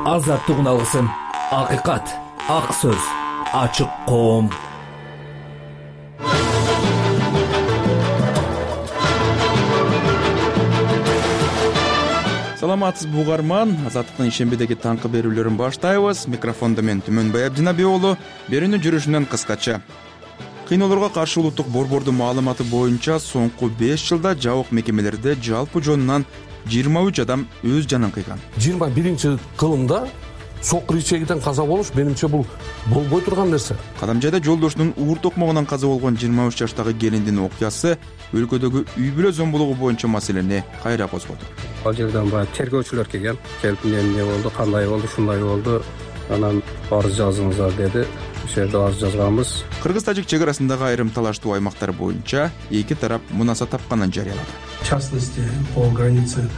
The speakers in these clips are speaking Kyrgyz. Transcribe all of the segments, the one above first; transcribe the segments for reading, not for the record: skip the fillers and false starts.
азаттык алгысың. Акыйкат, ак сөз, ачык коом. Саламатсызбы угарман, Азаттыктын ишембедеги таңкы берүүлөрүн баштайбыз. Микрофондо мен Түмөнбай Абдинабек уулу. Берүүнүн жүрүшүнөн кыскача. Кыйноолорго каршы улуттук борбордун маалыматы боюнча соңку 5 жылда жабык мекемелерде жалпы жонунан 23 адам өз жанын кыйган. 21-кылымда сокур ичегиден каза болуш менимче бул болбой турган нерсе. Кадамжайда жолдошунун уур токмогунан каза болгон 23 жаштагы келиндин окуясы өлкөдөгү үй бүлө зомбулугу боюнча маселени кайра козгоду. Ал жерден баягы тергөөчүлөр келген. Келип эмне болду, кандай болду, шундай болду. Анан арыз жазыңыздар деди. Ошол жерде арыз жазганбыз. Кыргыз-тажик чек арасындагы айрым талаштуу аймактар боюнча эки тарап мунаса тапканын жарыялады. В частности, по границе.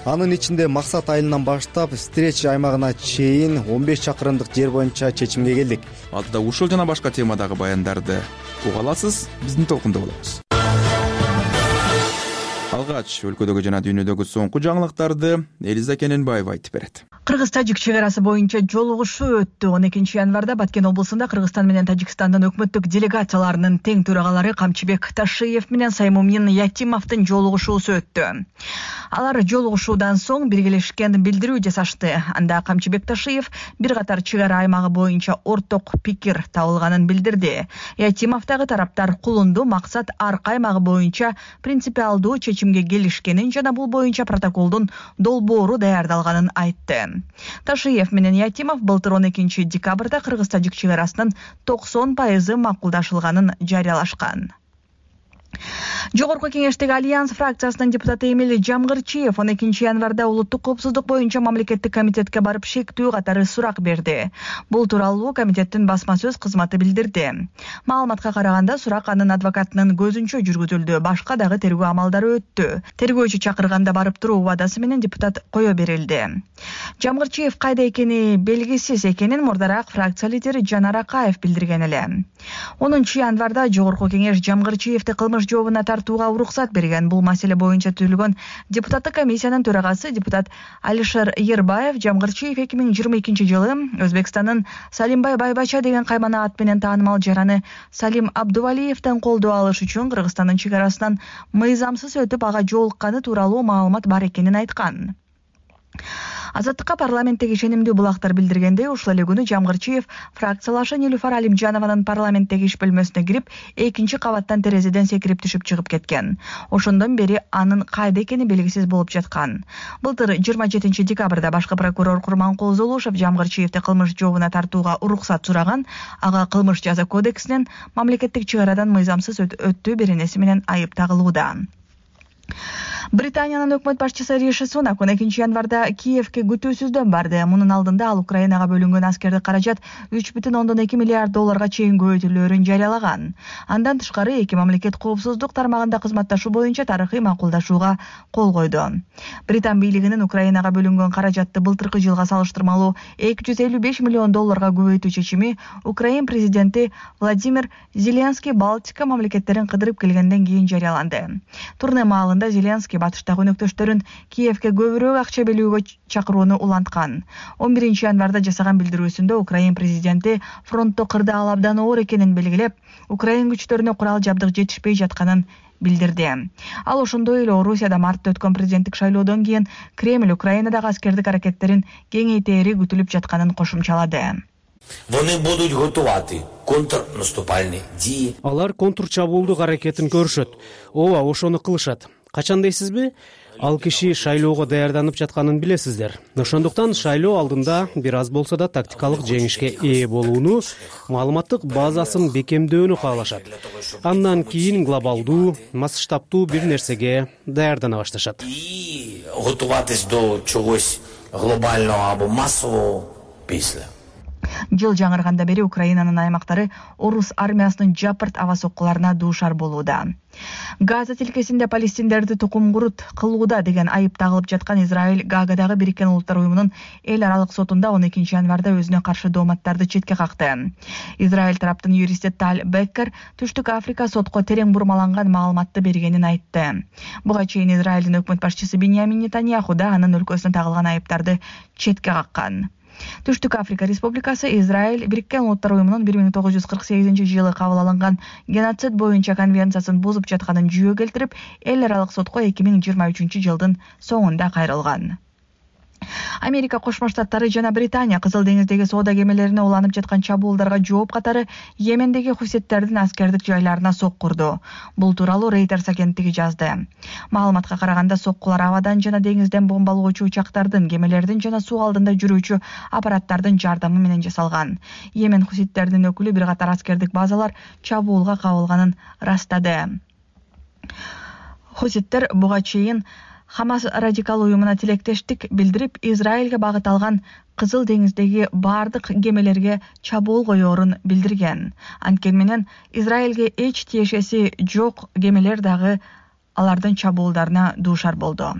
Анын ичинде Максат айылынан баштап Стреч аймагына чейин 15 чакырымдык жер боюнча чечимге келдик. Алдыда ушул жана башка темадагы баяндарды уга аласыз, биздин толкунда болобуз. Алгач өлкөдөгү жана дүйнөдөгү соңку жаңылыктарды Элиза Кененбаева айтып берет. Кыргыз-тажик чек арасы боюнча жолугушуу өттү. 12-январда Баткен облусунда Кыргызстан менен Тажикстандын өкмөттүк делегацияларынын тең төрагалары Камчыбек Ташиев менен Саймумин Ятимовдун жолугушуусу өттү. Алар жолугушуудан соң биргелешкен билдирүү жасашты. Анда Камчыбек Ташиев бир катар чек ара аймагы боюнча орток пикир табылганын билдирди. Ятимовдагы тараптар кулунду максат арка аймагы боюнча принципиалдуу чечимге келишкенин жана бул боюнча протоколдун долбоору даярдалганын айтты. Ташиев менен Ятимов былтыр 12 декабрда Кыргыз-тажик чек арасынын 90% макулдашылганын жарыялашкан. Жогорку кеңештеги Альянс фракциясынын депутаты Эмиль Жамгырчиев 12 январда улуттук коопсуздук боюнча мамлекеттик комитетке барып шектүү катары сурак берди. Бул тууралуу комитеттин басма сөз кызматы билдирди. Маалыматка караганда сурак анын адвокатынын көзүнчө жүргүзүлдү, башка дагы тергөө амалдары өттү. Тергөөчү чакырганда барып туруу убадасы менен депутат кое берилди. Жамгырчиев кайда экени белгисиз экенин мурдараак фракция лидери Жанар Акаев билдирген эле. 10 январда жогорку кеңеш Жамгырчиевди кылмыш жообуна тартууга уруксат берген. Бул маселе боюнча түзүлгөн депутаттык комиссиянын төрагасы депутат Алишер Ербаев Жамгырчиев 2022 жылы Өзбекстандын Салимбай Байбача деген каймана ат менен таанымал жараны Салим Абдувалиевден колдоо алыш үчүн Кыргызстандын чек арасынан мыйзамсыз өтүп ага жолукканы тууралуу маалымат бар экенин айткан. Азаттыкка парламенттеги ишенимдүү булактар билдиргендей, ушул эле күнү Жамгырчиев фракциялашы Нилуфар Алимжанованын парламенттеги иш бөлмөсүнө кирип, экинчи кабаттан терезеден секирип түшүп чыгып кеткен. Ошондон бери анын кайда экени белгисиз болуп жаткан. Былтыр 27 декабрда башкы прокурор Курманкул Зулушев Жамгырчиевди кылмыш жообуна тартууга уруксат сураган. Ага кылмыш жаза кодексинен мамлекеттик чек арадан мыйзамсыз өттүү беренеси менен айып тагылууда. Британиянын өкмөт башчысы Риши Сунак 12 январда Киевке күтүүсүздөн барды. Мунун алдында ал Украинага бөлүнгөн аскердик каражат 3,2 миллиард долларга чейин көбөйтүлөөрүн жарыялаган. Андан тышкары эки мамлекет коопсуздук тармагында кызматташуу боюнча тарыхый макулдашууга кол койду. Британ бийлигинин Украинага бөлүнгөн каражатты былтыркы жылга салыштырмалуу 255 миллион долларга көбөйтүү чечими Украин президенти Владимир Зеленский Балтика мамлекеттерин кыдырып келгенден кийин жарыяланды. Турне маалында Зеленский батыштагы өнөктөштөрүн Киевке көбүрөөк акча белүүгө чакырууну уланткан. 11 январда жасаган билдирүүсүндө Украин президенти фронтто кырдаал абдан оор экенин белгилеп, Украин күчтөрүнө курал жабдык жетишпей жатканын билдирди. Ал ошондой эле Орусияда мартта өткөн президенттик шайлоодон кийин Кремль Украинадагы аскердик аракеттерин кеңейтери күтүлүп жатканын кошумчалады. Алар контрчабуулдук аракетин көрүшөт. Ооба, ошону кылышат. Качан дейсизби? Ал киши шайлоого даярданып жатканын билесиздер. Ошондуктан шайлоо алдында бир аз болсо да тактикалык жеңишке ээ болууну, маалыматтык базасын бекемдөөнү каалашат. Андан кийин глобалдуу, масштабтуу бир нерсеге даярдана башташат. Готуватись до чогось глобального або массового після. Жыл жаңырганда бери Украинанын аймактары орус армиясынын жапырт аба соккуларына дуушар болууда. Газа тилкесинде палестиндерди тукум курут кылууда деген айып тагылып жаткан Израиль Гаагадагы Бириккен Улуттар уюмунун эл аралык сотунда 12 январда өзүнө каршы дооматтарды четке какты. Израиль тараптын юристи Таль Беккер Түштүк Африка сотко терең бурмаланган маалыматты бергенин айтты. Буга чейин Израилдин өкмөт башчысы Биньямин Нетаньяху да анын өлкөсүнө тагылган айыптарды четке каккан. Түштүк Африка Республикасы Израиль Бириккен Улуттар уюмунун 1948-жылы кабыл алынган геноцид боюнча конвенциясын бузуп жатканын жүйө келтирип, эл аралык сотко 2023-жылдын соңунда кайрылган. Америка Кошмо Штаттары жана Британия Кызыл деңиздеги соода кемелерине уланып жаткан чабуулдарга жооп катары Йемендеги хуситтердин аскердик жайларына соккурду. Бул тууралуу Reuters агенттиги жазды. Маалыматка караганда соккулар абадан жана деңизден бомбалоочу учактардын, кемелердин жана суу алдында жүрүүчү аппараттардын жардамы менен жасалган. Йемен хуситтердин өкүлү бир катар аскердик базалар чабуулга кабылганын ырастады. Хуситтер буга чейин Хамас радикал уюмуна тилектештик билдирип, Израилге багыт алган Кызыл деңиздеги бардык кемелерге чабуул коёрун билдирген. Анткени менен Израилге эч тиешеси жок кемелер дагы алардын чабуулдарына дуушар болду.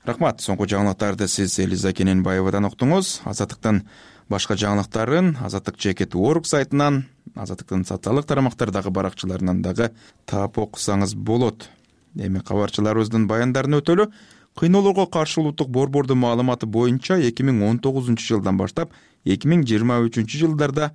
Рахмат. Соңку жаңылыктарды сиз Элиза Кененбаевадан уктуңуз. Азаттыктын башка жаңылыктарын azattik.org сайтынан, Азаттыктын социалдык тарамактардагы баракчаларынан дагы таап окусаңыз болот. Эми кабарчыларыбыздын баяндарын өтөлү. Кыйноолорго каршы улуттук борбордун маалыматы боюнча 2019-жылдан баштап 2023-жылдарда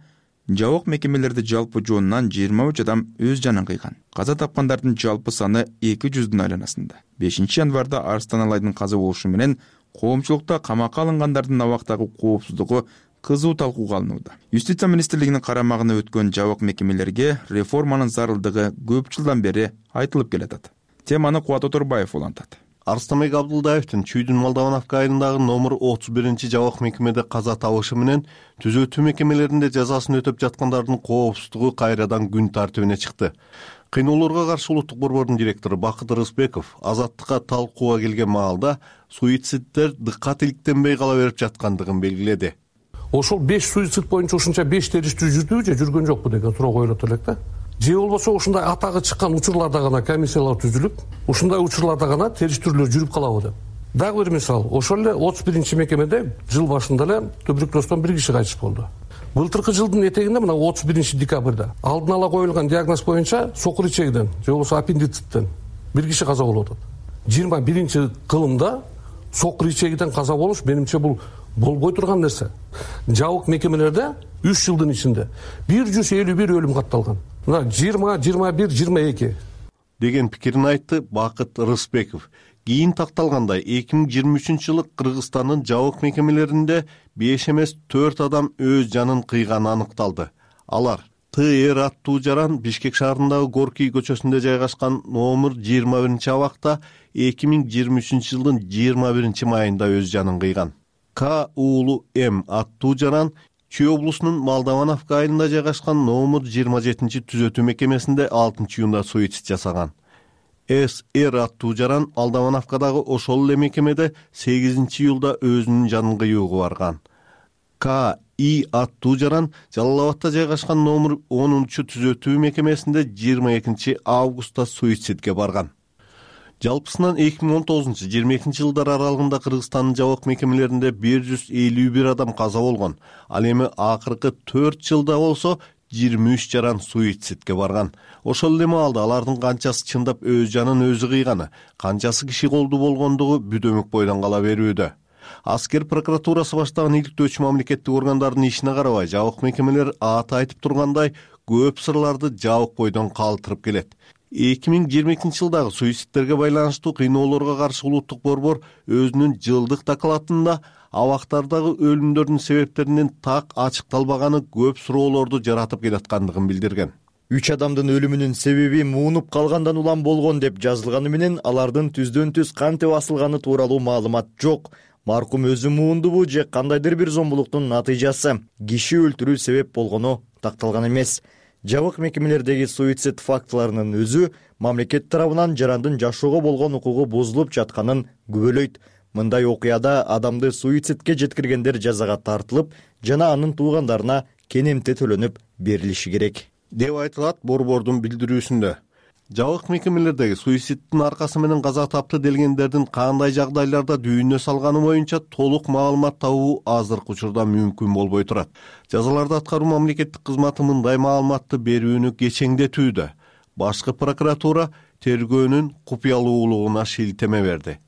жабык мекемелерде жалпы жоонунан 23 адам өз жанын кыйган. Каза тапкандардын жалпы саны 200дүн айланасында. 5-январда Арстан Алайдын каза болушу менен коомчулукта камакка алынгандардын абактагы коопсуздугу кызуу талкууга алынууда. Юстиция министрлигинин карамагына өткөн жабык мекемелерге реформанын зарылдыгы көп жылдан бери айтылып келатат. Теманы Кубат Оторбаев улантат. Арстамбек Абдулдаевдин Чүйдүн Молдовановка айылындагы номер 31-жабык мекемеде каза табышы менен түзөтүү мекемелеринде жазасын өтөп жаткандардын коопсуздугу кайрадан күн тартибине чыкты. Кыйноолорго каршы улуттук борбордун директору Бакыт Рыспеков Азаттыкка талкууга келген маалда суициддер дыккат иликтенбей кала берип жаткандыгын белгиледи. Ошол 5 суицид боюнча ушунча 5 териштирүү жүрдүбү же жүргөн жокпу деген суроо коюлат элек да. Же болбосо ушундай атагы чыккан учурларда гана комиссиялар түзүлүп, ушундай учурларда гана териштирүүлөр жүрүп калабы деп. Дагы бир мисал, ошол эле 31-мекемеде жыл башында эле туберкулездон 1 киши кайтыш болду. Былтыркы жылдын этегинде мына 31-декабрда алдын ала коюлган диагноз боюнча сокур ичегиден же болбосо аппендициттен 1 киши каза болуп атат. 21-кылымда сокур ичегиден каза болуш менимче бул болбой турган нерсе. Жабык мекемелерде 3 жылдын ичинде 151 өлүм катталган. Мына 20, 21, 22 деген пикирин айтты Бакыт Рыспеков. Кийин такталгандай 2023-жылы Кыргызстандын жабык мекемелеринде 5 эмес 4 адам өз жанын кыйганы аныкталды. Алар ТР аттуу жаран Бишкек шаарындагы Горкий көчөсүндө жайгашкан номер 21-абакта 2023-жылдын 21-майында өз жанын кыйган. К уулу М аттуу жаран Чүй облусунун Молдовановка айылында жайгашкан номер 27-түзөтүү мекемесинде 6-июнда суицид жасаган. СР аттуу жаран Молдовановкадагы ошол эле мекемеде 8-июлда өзүнүн жанын кыюуга барган. К И аттуу жаран Жалал-Абадта жайгашкан номер 10-түзөтүү мекемесинде 22 августта суицидге барган. Жалпысынан 2019-22 жылдар аралыгында Кыргызстандын жабык мекемелеринде 151 адам каза болгон. Ал эми акыркы 4 жылда болсо 23 жаран суицидге барган. Ошол эле маалда алардын канчасы чындап өз жанын өзү кыйганы, канчасы киши колдуу болгондугу бүдөмүк бойдон кала берүүдө. Аскер прокуратурасы баштаган иликтөөчү мамлекеттик органдардын ишине карабай, жабык мекемелер аты айтып тургандай көп сырларды жабык бойдон калтырып келет. 2022-жылдагы суицидтерге байланыштуу кыйноолорго каршы улуттук борбор өзүнүн жылдык докладында абактардагы өлүмдөрдүн себептеринин так ачыкталбаганы көп суроолорду жаратып келаткандыгын билдирген. 3 адамдын өлүмүнүн себеби муунуп калгандан улам болгон деп жазылганы менен алардын түздөн-түз кантип асылганы тууралуу маалымат жок. Маркум өзү муундубу же кандайдыр бир зомбулуктун натыйжасы киши өлтүрүү себеп болгону такталган эмес. Жабык мекемелердеги суицид фактыларынын өзү мамлекет тарабынан жарандын жашоого болгон укугу бузулуп жатканын күбөлөйт. Мындай окуяда адамды суицидке жеткиргендер жазага тартылып, жана анын туугандарына кенемте төлөнүп берилиши керек деп айтылат борбордун билдирүүсүндө. Жабык мекемелердеги суицидтин аркасы менен каза тапты делгендердин кандай жагдайларда дүйнө салганы боюнча толук маалымат табуу азыркы учурда мүмкүн болбой турат. Жазаларды аткаруу мамлекеттик кызматы мындай маалыматты берүүнү кечеңдетүүдө. Башкы прокуратура тергөөнүн купуялуулугуна шилтеме берди.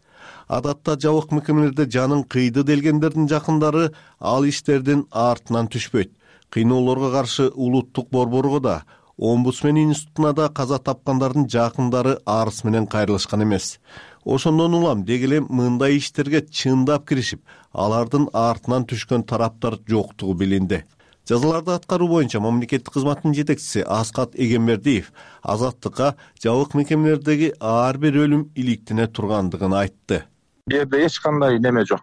Адатта жабык мекемелерде жанын кыйды делгендердин жакындары ал иштердин артынан түшпөйт. Кыйноолорго каршы улуттук борборго да, Омбудсмен институтуна да каза тапкандардын жакындары арыз менен кайрылышкан эмес. Ошондон улам деги эле мындай иштерге чындап киришип, алардын артынан түшкөн тараптар жоктугу билинди. Жазаларды аткаруу боюнча мамлекеттик кызматтын жетекчиси Аскат Эгембердиев Азаттыкка жабык мекемелердеги ар бир өлүм иликтине тургандыгын айтты. Бу жерде эч кандай неме жок.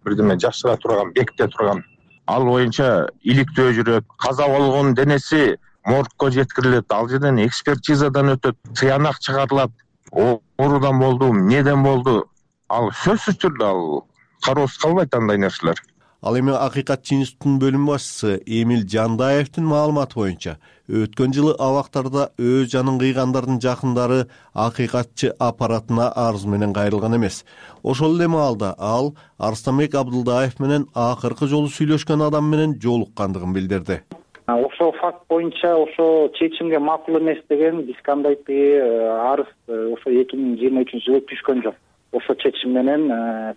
Бирдеме жашыра турган, бекте турган. Ал боюнча иликтөө жүрөт. Каза болгон денеси моргко жеткирилет. Ал жерден экспертизадан өтөт, сыянак чыгарылат. Оорудан болду, эмнеден болду? Ал сөзсүз түрдө ал кароосуз калбайт андай нерселер. Ал эми Акыйкатчы институтунун бөлүм башчысы Эмил Жандаевдин маалыматы боюнча, өткөн жылы абактарда өз жанын кыйгандардын жакындары Акыйкатчы аппаратына арыз менен кайрылган эмес. Ошол эле маалда ал Арстанбек Абдылдаев менен акыркы жолу сүйлөшкөн адам менен жолуккандыгын билдирди. Ошол факт боюнча ошо чечимге макул эмес деген биз кандайдыр арыз ошо 2023-жылы түшкөн жок. Ошо чечим менен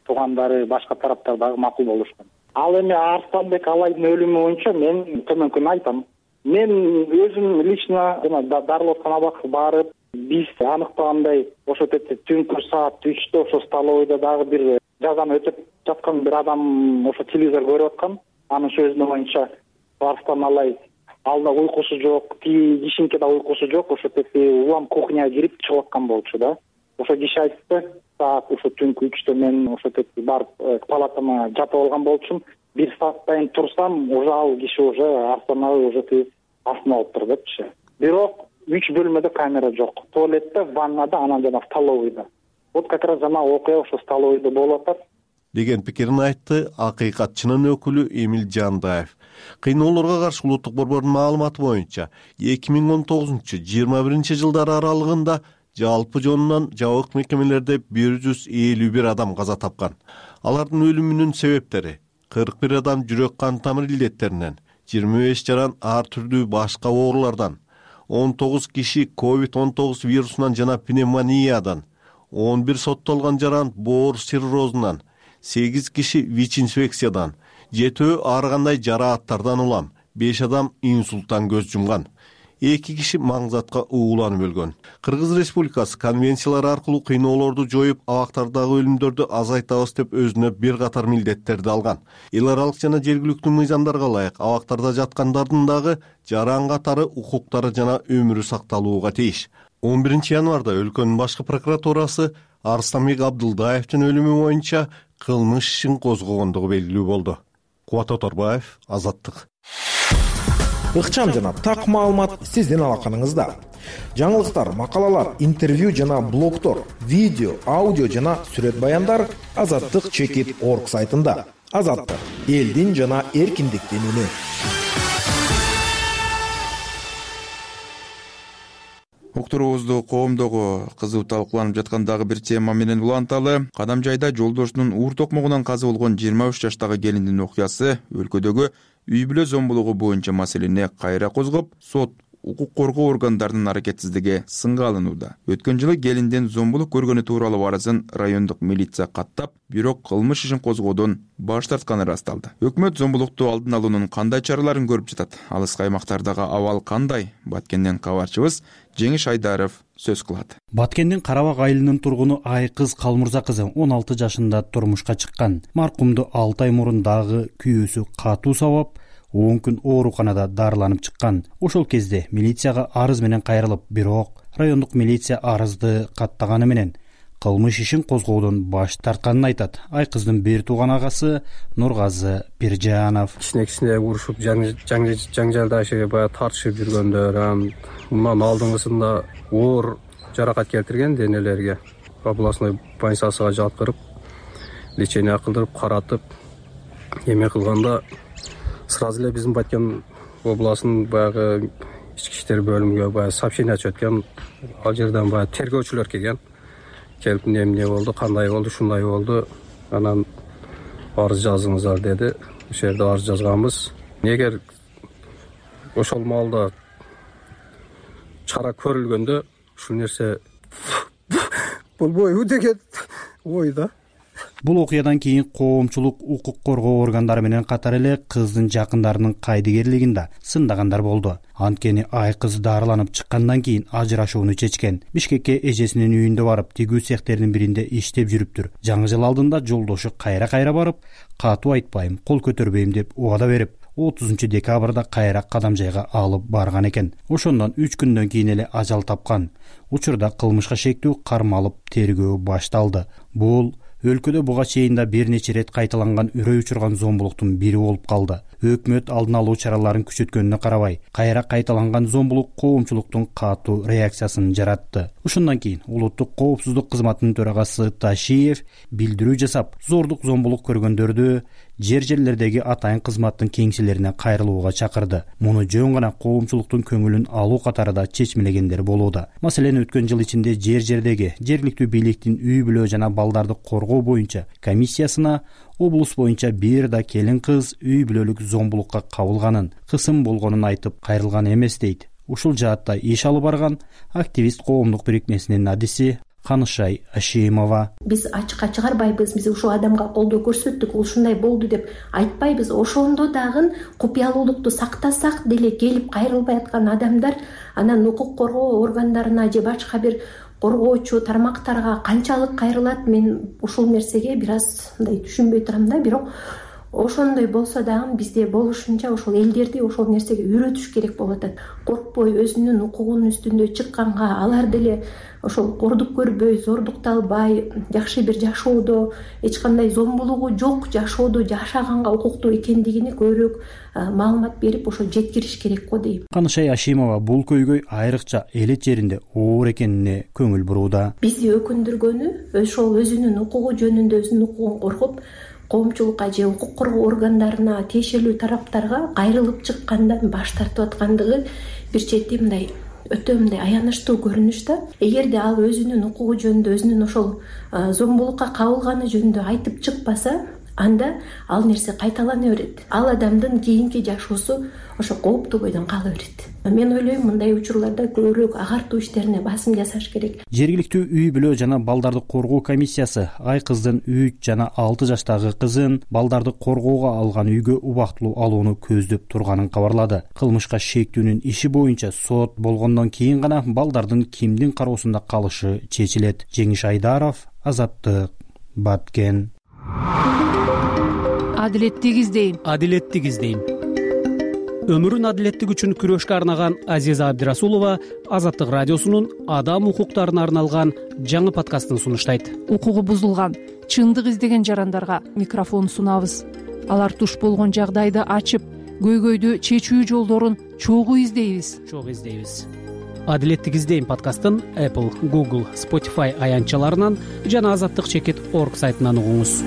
туугандары башка тараптар дагы макул болушкан. Ал эми Арстанбек Алайдын өлүмү боюнча мен төмөнкүнү айтам. Мен өзүм лично дарылап аткан абакка барып, биз аныктагандай ошо жерде түнкү саат 3-тө ошо столовойдо дагы бир жазаны өтөп жаткан бир адам ошо телевизор көрүп аткан. Анын сөзүнө боюнча Арстан Алай алда уйкусу жок, кишинке да уйкусу жок, ошо жерде улам кухняга кирип чыгып аткан болчу да. Ошо киши айтты, саат ошо түнкү 3-тө мен ошо жерде барып палатама жатып алган болчумун. 1 сааттан турсам, уже ал киши уже Астанага уже астына отуруп депчи. Бирок 3 бөлмөдө камера жок. Туалетте, ваннада, анан жана столовойдо. Вот как раз жана окуя ошо столовойдо болуп атат деген пикирин айтты Акыйкатчынын өкүлү Эмил Жандаев. Кыйноолорго каршы улуттук борбордун маалыматы боюнча 2019-21 аралыгында жалпы жонунан жабык мекемелерде 151 адам каза тапкан. Алардын өлүмүнүн себептери 41 адам жүрөк кан тамыр илдеттеринен, 25 жаран ар түрдүү башка оорулардан, 19 киши COVID-19 вирусунан жана пневмониядан, 11 соттолгон жаран боор циррозунан, 8 киши ВИЧ-инфекциядан, 7 ар кандай жарааттардан улам, 5 адам инсульттан көз жумган. 2 киши маңзатка ууланып өлгөн. Кыргыз Республикасы конвенциялар аркылуу кыйноолорду жоюп, абактардагы өлүмдөрдү азайтабыз деп өзүнө бир катар милдеттерди алган. Эл аралык жана жергиликтүү мыйзамдарга ылайык абактарда жаткандардын дагы жаран катары укуктары жана өмүрү сакталууга тийиш. 11 январда өлкөнүн башкы прокуратурасы Арстанбек Абдылдаевдин өлүмү боюнча кылмыш ишин козгогондугу белгилүү болду. Кубат Оторбаев, Азаттык. Ыкчам жана так маалымат сиздин алаканыңызда. Жаңылыктар, макалалар, интервью жана блогдор, видео, аудио жана сүрөт баяндар azattik.org сайтында. Азаттык — элдин жана эркиндиктин үнү. Уктуруубузду коомдогу кызуу талкууланып жаткан дагы бир тема менен уланталы. Кадамжайда жолдошунун уур токмогунан каза болгон 23 жаштагы келиндин окуясы өлкөдөгү үй бүлө зомбулугу боюнча маселени кайра козгоп, сот укук коргоо органдарынын аракетсиздиги сынга алынууда. Өткөн жылы келиндин зомбулук көргөнү тууралуу арызын райондук милиция каттап, бирок кылмыш ишин козгоодон баш тартканы ырасталды. Өкмөт зомбулукту алдын алуунун кандай чараларын көрүп жатат? Алыскы аймактардагы абал кандай? Баткенден кабарчыбыз Жеңиш Айдаров сөз кылат. Баткендин Карабак айылынын тургуну Айкыз Калмырза кызы 16 жашында турмушка чыккан. Маркумду 6 ай мурун дагы күйөөсү катуу сабап, 10 күн ооруканада дарыланып чыккан. Ошол кезде милицияга арыз менен кайрылып, бирок райондук милиция арызды каттаганы менен кылмыш ишин козгоодон баш тартканын айтат. Айкыздын бир тууган агасы Нургазы Биржанов. Кичине урушуп, жаңжалдашып, баягы тартышып жүргөндөр, мындан алдыңгысында оор жаракат келтирген денелерге областной больницасына жаткырып, лечение кылдырып, каратып, эме кылганда сразу эле биздин Баткен областынын баягы ички иштер бөлүмүгө баягы сообщение чыгып өткөн. Ал жерден баягы тергөөчүлөр келген. Келип эмне болду, кандай болду, шундай болду. Анан арыз жазыңыздар деди. Ошол жерде арыз жазганбыз. Эгер ошол маалда чара көрүлгөндө ушул нерсе болбойбу деген ойда. бул окуядан кийин коомчулук укук коргоо органдары менен катар эле кыздын жакындарынын кайдыгерлигин да сындагандар болду. Анткени айкыз дарыланып чыккандан кийин ажырашууну чечкен. Бишкекке эжесинин үйүндө барып, тигүү цехтердин биринде иштеп жүрүптүр. Жаңы жыл алдында жолдошу кайра барып, катуу айтпайм, кол көтөрбөйм деп убада берип, 30 декабрда кайра кадам жайга алып барган экен. Ошондон 3 күндөн кийин эле ажал тапкан. Учурда кылмышка шектүү кармалып тергөө башталды. Бул өлкөдө буга чейин да бир нече рет кайталанган үрөй учурган зомбулуктун бири болуп калды. Өкмөт алдын алуу чараларын күчөткөнүнө карабай, кайра кайталанган зомбулук коомчулуктун катуу реакциясын жаратты. Ошондон кийин улуттук коопсуздук кызматынын төрагасы Ташиев билдирүү жасап, зордук зомбулук көргөндөрдү жерлердеги атайын кызматтын кеңселерине кайрылууга чакырды. Муну жөн гана коомчулуктун көңүлүн алуу катарында чечмелегендер болууда. Маселен, өткөн жыл ичинде жерлердеги жергиликтүү бийликтин үй бүлө жана балдарды коргоо боюнча комиссиясына облус боюнча бир да келин кыз үй бүлөлүк зомбулукка кабылганын, кысым болгонун айтып кайрылган эмес дейт. Ушул жаатта иш алып барган активист коомдук бирикмесинин адиси Канышай Ашимова. Биз ачыкка чыгарбайбыз, биз ушул адамга колдоо көрсөттүк, ушундай болду деп айтпайбыз. Ошондо дагы купуялуулукту сактасак деле келип кайрылбай аткан адамдар анан укук коргоо органдарына же башка бир коргоочу тармактарга канчалык кайрылат, мен ушул нерсеге бир аз мындай түшүнбөй турам да. Бирок ошондой болсо дагы бизде болушунча ошол элдерди ошол нерсеге үйрөтүш керек болуп атат. Коркпой өзүнүн укугунун үстүндө чыкканга, алар деле ошол кордук көрбөй, зордукталбай, жакшы бир жашоодо, эч кандай зомбулугу жок жашоодо жашаганга укуктуу экендигини көбүрөөк маалымат берип, ошо жеткириш керек го дейм. Канышай Ашимова бул көйгөй айрыкча элет жеринде оор экенине көңүл бурууда. Бизди өкүндүргөнү ошол өзүнүн укугу жөнүндө өзүнүн укугун коргоп, коомчулукка же укук коргоо органдарына, тиешелүү тараптарга кайрылып чыккандан баш тартып аткандыгы бир чети мындай өтө мындай аянычтуу көрүнүш да. Эгерде ал өзүнүн укугу жөнүндө, өзүнүн ошол зомбулукка кабылганы жөнүндө айтып чыкпаса, анда ал нерсе кайталана берет. Ал адамдын кийинки жашоосу ошо кооптуу бойдон кала берет. Мен ойлойм, мындай учурларда көбүрөөк агартуу иштерине басым жасаш керек. Жергиликтүү үй бүлө жана балдарды коргоо комиссиясы айкыздын 3 жана 6 жаштагы кызын балдарды коргоого алган үйгө убактылуу алууну көздөп турганын кабарлады. Кылмышка шектүүнүн иши боюнча сот болгондон кийин гана балдардын кимдин кароосунда калышы чечилет. Жеңиш Айдаров, Азаттык, Баткен. Адилеттик издейм. Өмүрүн адилеттик үчүн күрөшкө арнаган Азиза Абдирасулова Азаттык радиосунун адам укуктарына арналган жаңы подкастын сунуштайт. Укугу бузулган, чындык издеген жарандарга микрофон сунабыз. Алар туш болгон жагдайды ачып, көйгөйдү чечүү жолдорун чогуу издейбиз. Адилеттик издейм подкастын Apple, Google, Spotify аянтчаларынан жана azattik.org сайтынан угуңуз.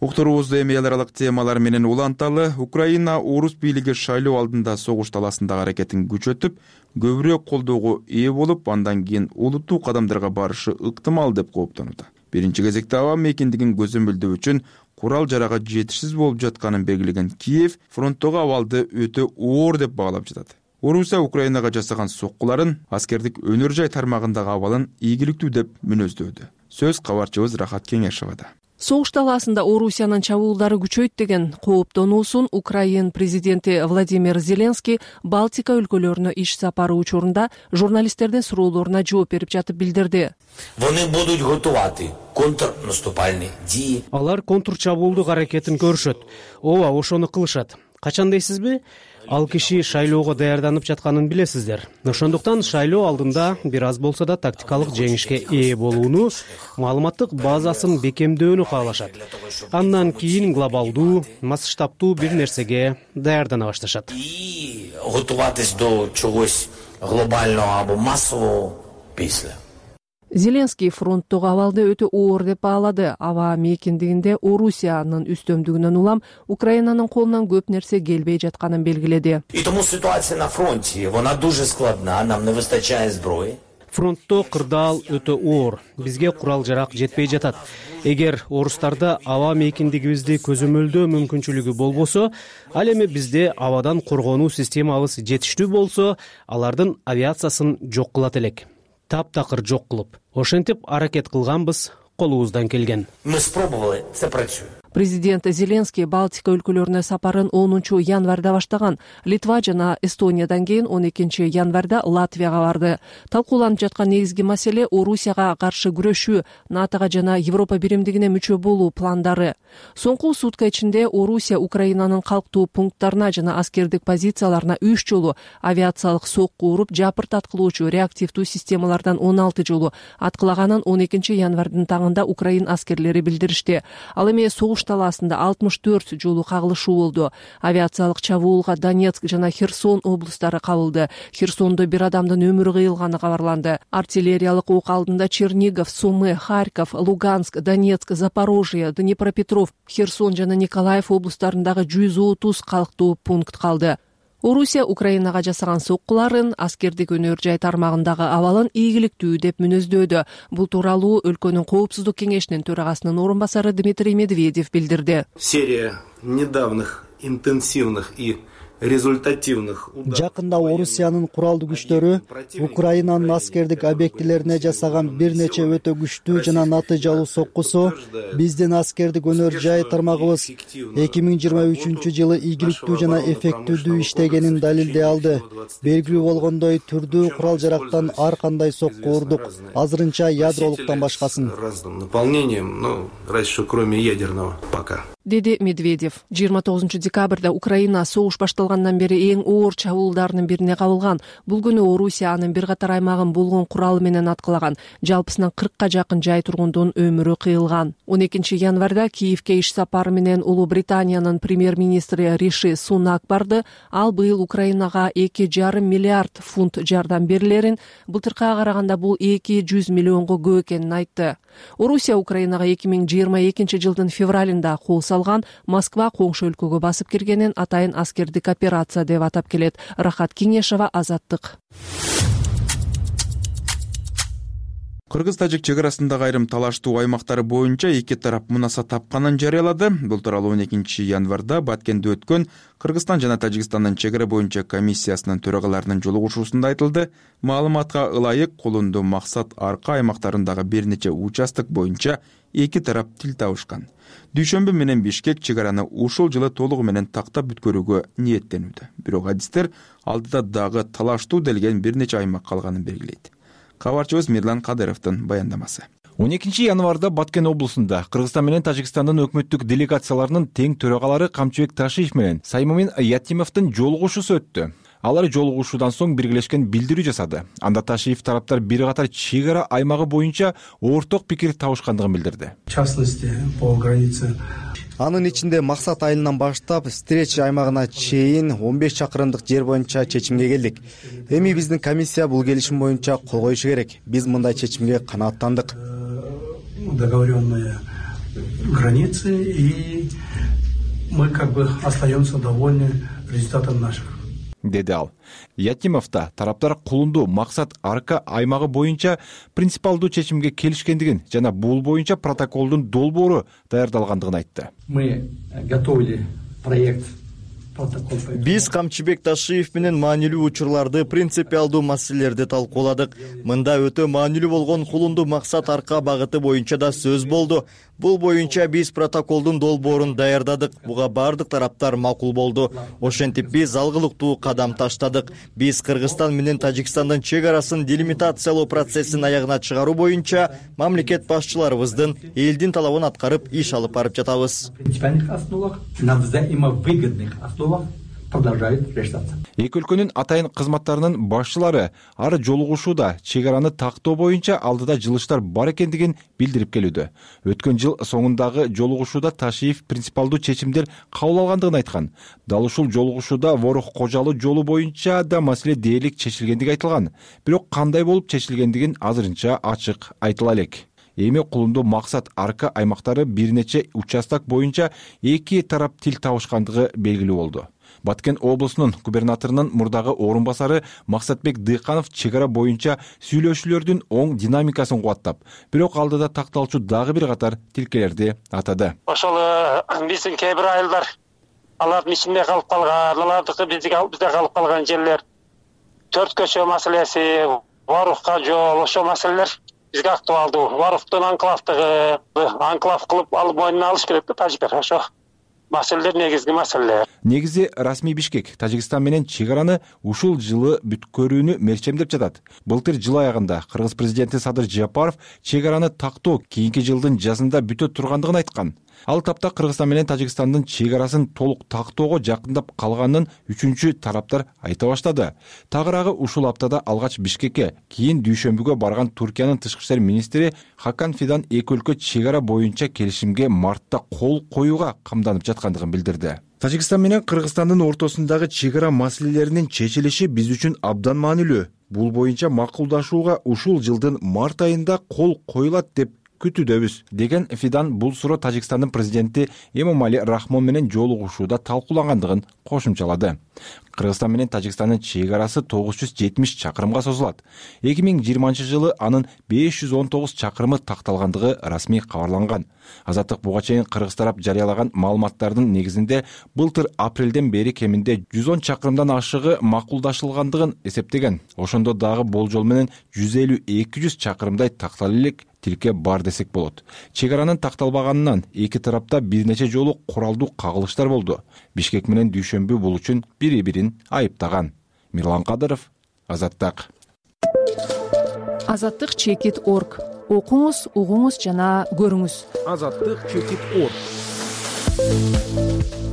Уктуруубузду эми эл аралык темалар менен уланталы. Украина орус бийлиги шайлоо алдында согуш талаасындагы аракетин күчөтүп, көбүрөөк колдоого ээ болуп, андан кийин олуттуу кадамдарга барышы ыктымал деп кооптонууда. Биринчи кезекте аба мейкиндигин көзөмөлдөө үчүн курал жарага жетишсиз болуп жатканын белгилеген Киев фронттогу абалды өтө оор деп баалап жатат. Орусия Украинага жасаган соккуларын, аскердик өнөр жай тармагындагы абалын ийгиликтүү деп мүнөздөөдү. Сөз кабарчыбыз Рахат Кеңешовада. Согуш талаасында Орусиянын чабуулдары күчөйт деген кооптонуусун Украин президенти Владимир Зеленский Балтика өлкөлөрүнө иш сапары учурунда журналисттердин суроолоруна жооп берип жатып билдирди. Вони будут готоваты контрнаступальные дии. Алар контрчабуулдук аракетин көрүшөт. Ооба, ошону кылышат. Качан дейсизби? Ал киши шайлоого даярданып жатканын билесиздер. Ошондуктан шайлоо алдында бир аз болсо да тактикалык жеңишке ээ болууну, маалыматтык базасын бекемдөөнү каалашат. Андан кийин глобалдуу, масштабтуу бир нерсеге даярдана башташат. И готоватись до чогось глобального або массового після. Зеленский фронттогу абалды өтө оор деп баалады. Аба мейкиндигинде Орусиянын үстөмдүгүнөн улам Украинанын колунан көп нерсе келбей жатканын белгиледи. И тому ситуация на фронте, вона дуже складна, нам не выстачает зброи. Фронтто кырдаал өтө оор. Бизге курал жарак жетпей жатат. Эгер орустарда аба мейкиндигибизди көзөмөлдөө мүмкүнчүлүгү болбосо, ал эми бизде абадан коргонуу системабыз жетиштүү болсо, алардын авиациясын жок кылат элек. Таптакыр жок кылып. Ошентип аракет кылганбыз, колубуздан келген. Мы спробовали, це працює. Президент Зеленский Балтика өлкөлөрүнө сапарын 10 январда баштаган. Литва жана Эстониядан кийин 12 январда Латвияга барды. Талкууланып жаткан негизги маселе Орусияга каршы күрөшүү, НАТОга жана Европа биримдигине мүчө болуу пландары. Соңку сутка ичинде Орусия Украинанын калктуу пункттарына жана аскердик позицияларына 3 жолу авиациялык сокку уруп, жапырт аткылоочу реактивдүү системалардан 16 жолу аткылаганын 12 январдын таңында Украин аскерлери билдиришти. Ал эми согуш талаасында 64 жолу кагылышуу болду. Авиациялык чабуулга Донецк жана Херсон облустары кабылды. Херсондо бир адамдын өмүрү кыйылганы кабарланды. Артиллериялык ок алдында Чернигов, Сумы, Харьков, Луганск, Донецк, Запорожье, Днепропетров, Херсон жана Николаев облустарындагы 130 калктуу пункт калды. Орусия Украинага жасаган соккуларын, аскердик өнөр жай тармагындагы абалын ийгиликтүү деп мүнөздөөдө. Бул тууралуу өлкөнүн коопсуздук кеңешинин төрагасынын орун басары Дмитрий Медведев билдирди. Серия недавних интенсивных и результативных ударов. Жакында Орусиянын куралдуу күчтөрү Украинанын аскердик объектилерине жасаган бир нече өтө күчтүү жана натыйжалуу соккусу биздин аскердик өнөр жай тармагыбыз 2023 жылы ийгиликтүү жана эффективдүү иштегенин далилдей алды. Белгилүү болгондой түрдүү курал жарактан ар кандай сокку урдук, азырынча ядролуктан башкасын. Наполнением, разве что кроме ядерного пока. Деди Медведев. 29 декабрда Украина согуш башталгандан бери эң оор чабуулдарынын бирине кабылган. Бул күнү Орусия анын бир катар аймагын болгон куралы менен аткылаган. Жалпысынан 40ка жакын жай тургундун өмүрү кыйылган. 12 январда Киевке иш сапары менен Улуу Британиянын премьер-министри Риши Сунак барды. Ал быйыл Украинага 2,5 миллиард фунт жардам берилерин, былтыркыга караганда бул 200 миллионго көп экенин айтты. Орусия Украинага 2022 жылдын февралында кол салган, Москва коңшу өлкөгө басып киргенин атайын аскердик операция деп атап келет. Рахат Кеңешова, Азаттык. Кыргыз-тажик чек арасындагы айрым талаштуу аймактары боюнча эки тарап мунаса тапканын жарыялады. Бул тууралуу 12 январда Баткенде өткөн Кыргызстан жана Тажикстандын чек ара боюнча комиссиясынын төрагаларынын жолугушуусунда айтылды. Маалыматка ылайык Кулунду, Максат, Арка аймактарындагы бир нече участок боюнча эки тарап тил табышкан. Дүйшөмбү менен Бишкек чек араны ушул жылы толугу менен тактап бүткөрүүгө ниеттенүүдө. Бирок адистер алдыда дагы талаштуу делген бир нече аймак калганын белгилейт. Кабарчыбыз Мирлан Кадыровдун баяндамасы. 12 январда Баткен облусунда Кыргызстан менен Тажикстандын өкмөттүк делегацияларынын тең төрагалары Камчыбек Ташиев менен Саймумин Ятимовдун жолугушуусу өттү. Алар жолугушуудан соң биргелешкен билдирүү жасады. Анда Ташиев тараптар бир катар чек ара аймагы боюнча орток пикир табышкандыгын билдирди. В частности, по границе. Анын ичинде Максат айылынан баштап Стреч аймагына чейин 15 чакырымдык жер боюнча чечимге келдик. Эми биздин комиссия бул келишим боюнча кол коюшу керек. Биз мындай чечимге канааттандык. Договоренные границы, и мы остаемся довольны результатом наших. Деди ал. Ятимовда тараптар Кулунду, Максат, Арка аймагы боюнча принципалдуу чечимге келишкендигин жана бул боюнча протоколдун долбоору даярдалгандыгын айтты. Мы готовили проект. Биз Камчыбек Ташиев менен маанилүү учурларды, принципиалдуу маселелерди талкууладык. Мында өтө маанилүү болгон Кулунду, Максат, Арка багыты боюнча да сөз болду. Бул боюнча биз протоколдун долбоорун даярдадык. Буга бардык тараптар макул болду. Ошентип биз алгылыктуу кадам таштадык. Биз Кыргызстан менен Тажикстандын чек арасын делимитациялоо процессин аягына чыгаруу боюнча мамлекет башчыларыбыздын элдин талабын аткарып иш алып барып жатабыз. На взаимовыгодных основах продолжает решаться. Эки өлкөнүн атайын кызматтарынын башчылары ар жолугушууда чек араны тактоо боюнча алдыда жылыштар бар экендигин билдирип келүүдө. Өткөн жыл соңундагы жолугушууда Ташиев принципалдуу чечимдер кабыл алгандыгын айткан. Дал ушул жолугушууда Ворох Кожалы жолу боюнча да маселе дээрлик чечилгендиги айтылган. Бирок кандай болуп чечилгендигин азырынча ачык айтыла элек. Эми Кулунду, Максат, Арка аймактары бир нече участок боюнча эки тарап тил табышкандыгы белгилүү болду. Баткен облусунун губернаторунун мурдагы орун басары Максатбек Дыйканов чек ара боюнча сүйлөшүүлөрдүн оң динамикасын кубаттап, бирок алдыда такталчу дагы бир катар тилкелерди атады. Ошол биздин кээ бир айылдар алардын ичинде калып калган, алардыкы бизде калып калган жерлер, төрт көчө маселеси, Ворохко жол, ошол маселелер бизге актуалдуу. Варуктун анклав кылып алып мойнуна алыш керек да тажиктер. Ошо маселелер негизги маселелер. Негизи расмий Бишкек Тажикстан менен чек араны ушул жылы бүткөрүүнү мерчемдеп жатат. Былтыр жыл аягында Кыргыз президенти Садыр Жапаров чек араны тактоо кийинки жылдын жазында бүтө тургандыгын айткан. Ал тапта Кыргызстан менен Тажикстандын чек арасын толук тактоого жакындап калганын үчүнчү тараптар айта баштады. Тагыраагы ушул аптада алгач Бишкекке, кийин дүйшөмбүгө барган Туркиянын тышкы иштер министри Хакан Фидан эки өлкө чек ара боюнча келишимге мартта кол коюуга камданып жаткандыгын билдирди. Тажикстан менен Кыргызстандын ортосундагы чек ара маселелеринин чечилиши биз үчүн абдан маанилүү. Бул боюнча макулдашууга ушул жылдын март айында кол коюлат деп күтүүдөбүз, деген Фидан бул суроо Тажикстандын президенти Эмомали Рахмон менен жолугушууда талкуулангандыгын кошумчалады. Кыргызстан менен Тажикстандын чек арасы 970 чакырымга созулат. 2020 анын 519 чакырымы такталгандыгы расмий кабарланган. Азаттык буга чейин кыргыз тарап жарыялаган маалыматтардын негизинде былтыр апрелден бери кеминде 110 чакырымдан ашыгы макулдашылгандыгын эсептеген. Ошондо дагы болжол менен 150-200 чакырымдай тактала элек тилке бар десек болот. Чек аранын такталбаганынан эки тарапта бир нече жолу куралдуу кагылыштар болду. Бишкек менен Дүйшөмбү бул үчүн бири-бирин айыптаган. Мирлан Кадыров, Азаттык. Азаттык чекит.org. Окуңуз, угуңуз жана көрүңүз. Азаттык чекит.org.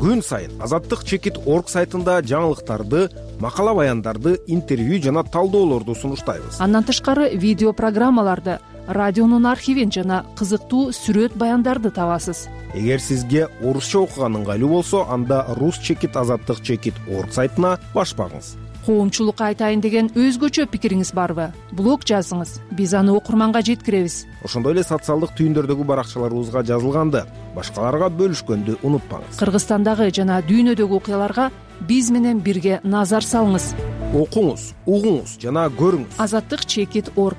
Күн сайын Азаттык чекит.org сайтында жаңылыктарды, макала баяндарды, интервью жана талдоолорду сунуштайбыз. Андан тышкары видео программаларды, радионун архивин жана кызыктуу сүрөт баяндарды табасыз. Эгер сизге орусча окуган ыңгайлуу болсо, анда рус чекит азаттык чекит.org сайтына баш багыңыз. Коомчулукка айтайын деген өзгөчө пикириңиз барбы? Блог жазыңыз, биз аны окурманга жеткиребиз. Ошондой эле социалдык түйүндөрдөгү баракчаларыбызга жазылганды башкаларга бөлүшкөндү унутпаңыз. Кыргызстандагы жана дүйнөдөгү окуяларга биз менен бирге назар салыңыз. Окуңуз, угуңуз жана көрүңүз. Азаттык чекит.org.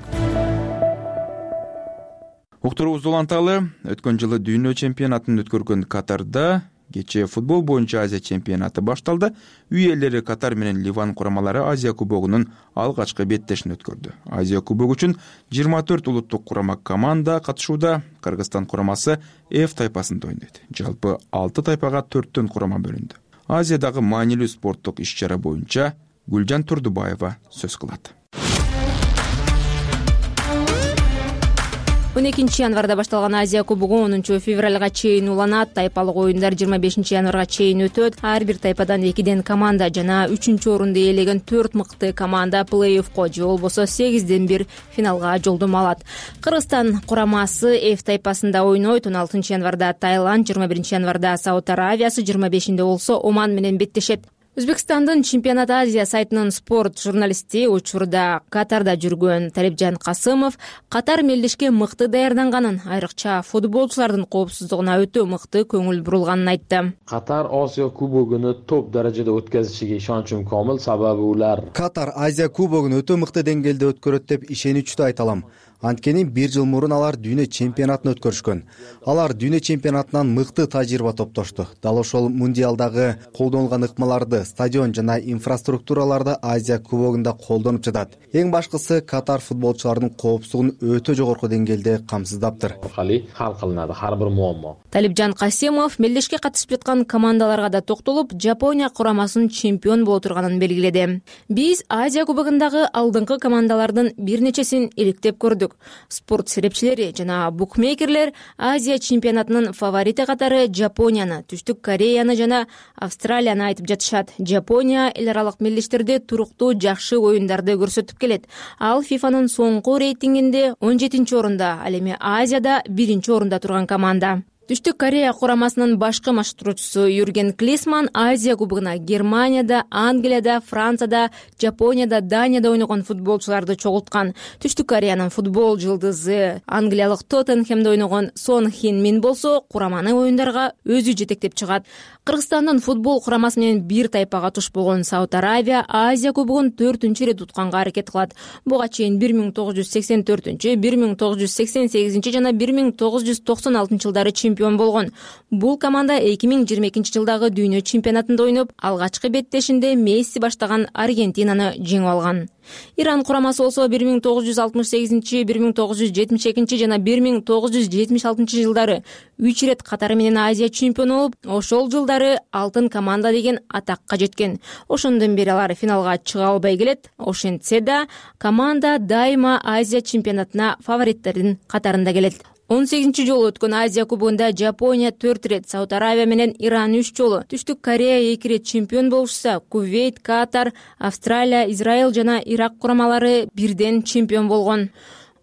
Уктуруубузду уланталы. Өткөн жылы дүйнө чемпионатын өткөргөн Катарда кечээ футбол боюнча Азия чемпионаты башталды. Үй элleri Катар менен Ливан курамалары Азия кубогунун алгачкы беттешин өткөрдү. Азия кубогу үчүн 24 улуттук курама команда катышууда. Кыргызстан курамасы F тайпасында ойнойт. Жалпы 6 тайпага 4төн курама бөлүндү. Азиядагы маанилүү спорттук иш-чара боюнча Гүлжан Турдубаева сөз кылат. 12 январда башталган Азия кубогу 10 февралга чейин уланат. Тайпалык оюндар 25 январга чейин өтөт. Ар бир тайпадан 2ден команда жана 3-орунду ээлеген 4 мыкты команда плей-оффко же болбосо 8ден 1 финалга жолдомо алат. Кыргызстан курамасы F тайпасында ойнойт. 16 январда Таиланд, 21 январда Сауд Аравиясы, 25-нде болсо Оман менен беттешет. Өзбекстандын Чемпионат Азия сайтынын спорт журналисти, учурда Катарда жүргөн Талипжан Касымов Катар мелдешке мыкты даярданганын, айрыкча футболчулардын коопсуздугуна өтө мыкты көңүл бурулганын айтты. Катар Азия кубогуну топ даражада өткөзүшүгө ишеничим комил, сабабы улар Катар Азия кубогун өтө мыкты деңгээлде өткөрөт деп ишеничтүү айта алам. Анткени 1 жыл мурун алар дүйнө чемпионатын өткөрүшкөн. Алар дүйнө чемпионатынан мыкты тажрыйба топтошту. Дал ошол мундиалдагы колдонулган ыкмаларды, стадион жана инфраструктураларды Азия кубогунда колдонуп жатат. Эң башкысы Катар футболчуларынын коопсуздугун өтө жогорку деңгээлде камсыздаптыр. Хал кылынады ар бир муаммо. Талипжан Касимов мелдешке катышып жаткан командаларга да токтолуп, Жапония курамасынын чемпион боло турганын белгиледи. Биз Азия кубогундагы алдыңкы командалардын бир нечесин иликтеп көрдүк. Спорт серепчилери жана букмекерлер Азия чемпионатынын фаворити катары Жапонияны, Түштүк Кореяны жана Австралияны айтып жатышат. Жапония эл аралык мелдештерде туруктуу жакшы оюндарды көрсөтүп келет. Ал ФИФАнын соңку рейтингинде 17-орунда, ал эми Азияда 1-орунда турган команда. Түштүк Корея курамасынын башкы машыктыруучусу Юрген Клисман Азия кубогуна Германияда, Англияда, Францияда, Жапонияда, Данияда ойногон футболчуларды чогулткан. Түштүк Кореянын футбол жылдызы англиялык Тоттенхемде ойногон Сон Хин Мин болсо кураманы оюндарга өзү жетектеп чыгат. Кыргызстандын футбол курамасы менен бир тайпага туш болгон Сауд Аравия Азия кубогун 4-рет утканга аракет кылат. Буга чейин 1984, 1988 жана 1996 жылдары чемпион болгон. Бул команда 2022-жылдагы дүйнө чемпионатында ойноп, алгачкы беттешинде Месси баштаган Аргентинаны жеңип алган. Иран курамасы болсо 1968, 1972 жана 1976 жылдары 3 ирет катары менен Азия чемпиону болуп, ошол жылдары алтын команда деген атакка жеткен. Ошондон бери алар финалга чыга албай келет. Ошентсе да, команда дайыма Азия чемпионатына фавориттердин катарында келет. 18 жолу өткөн Азия кубогунда Жапония 4 рет, Сауд Аравия менен Иран 3 жолу, Түштүк Корея 2 рет чемпион болушса, Кувейт, Катар, Австралия, Израиль жана Ирак курамалары бирден чемпион болгон.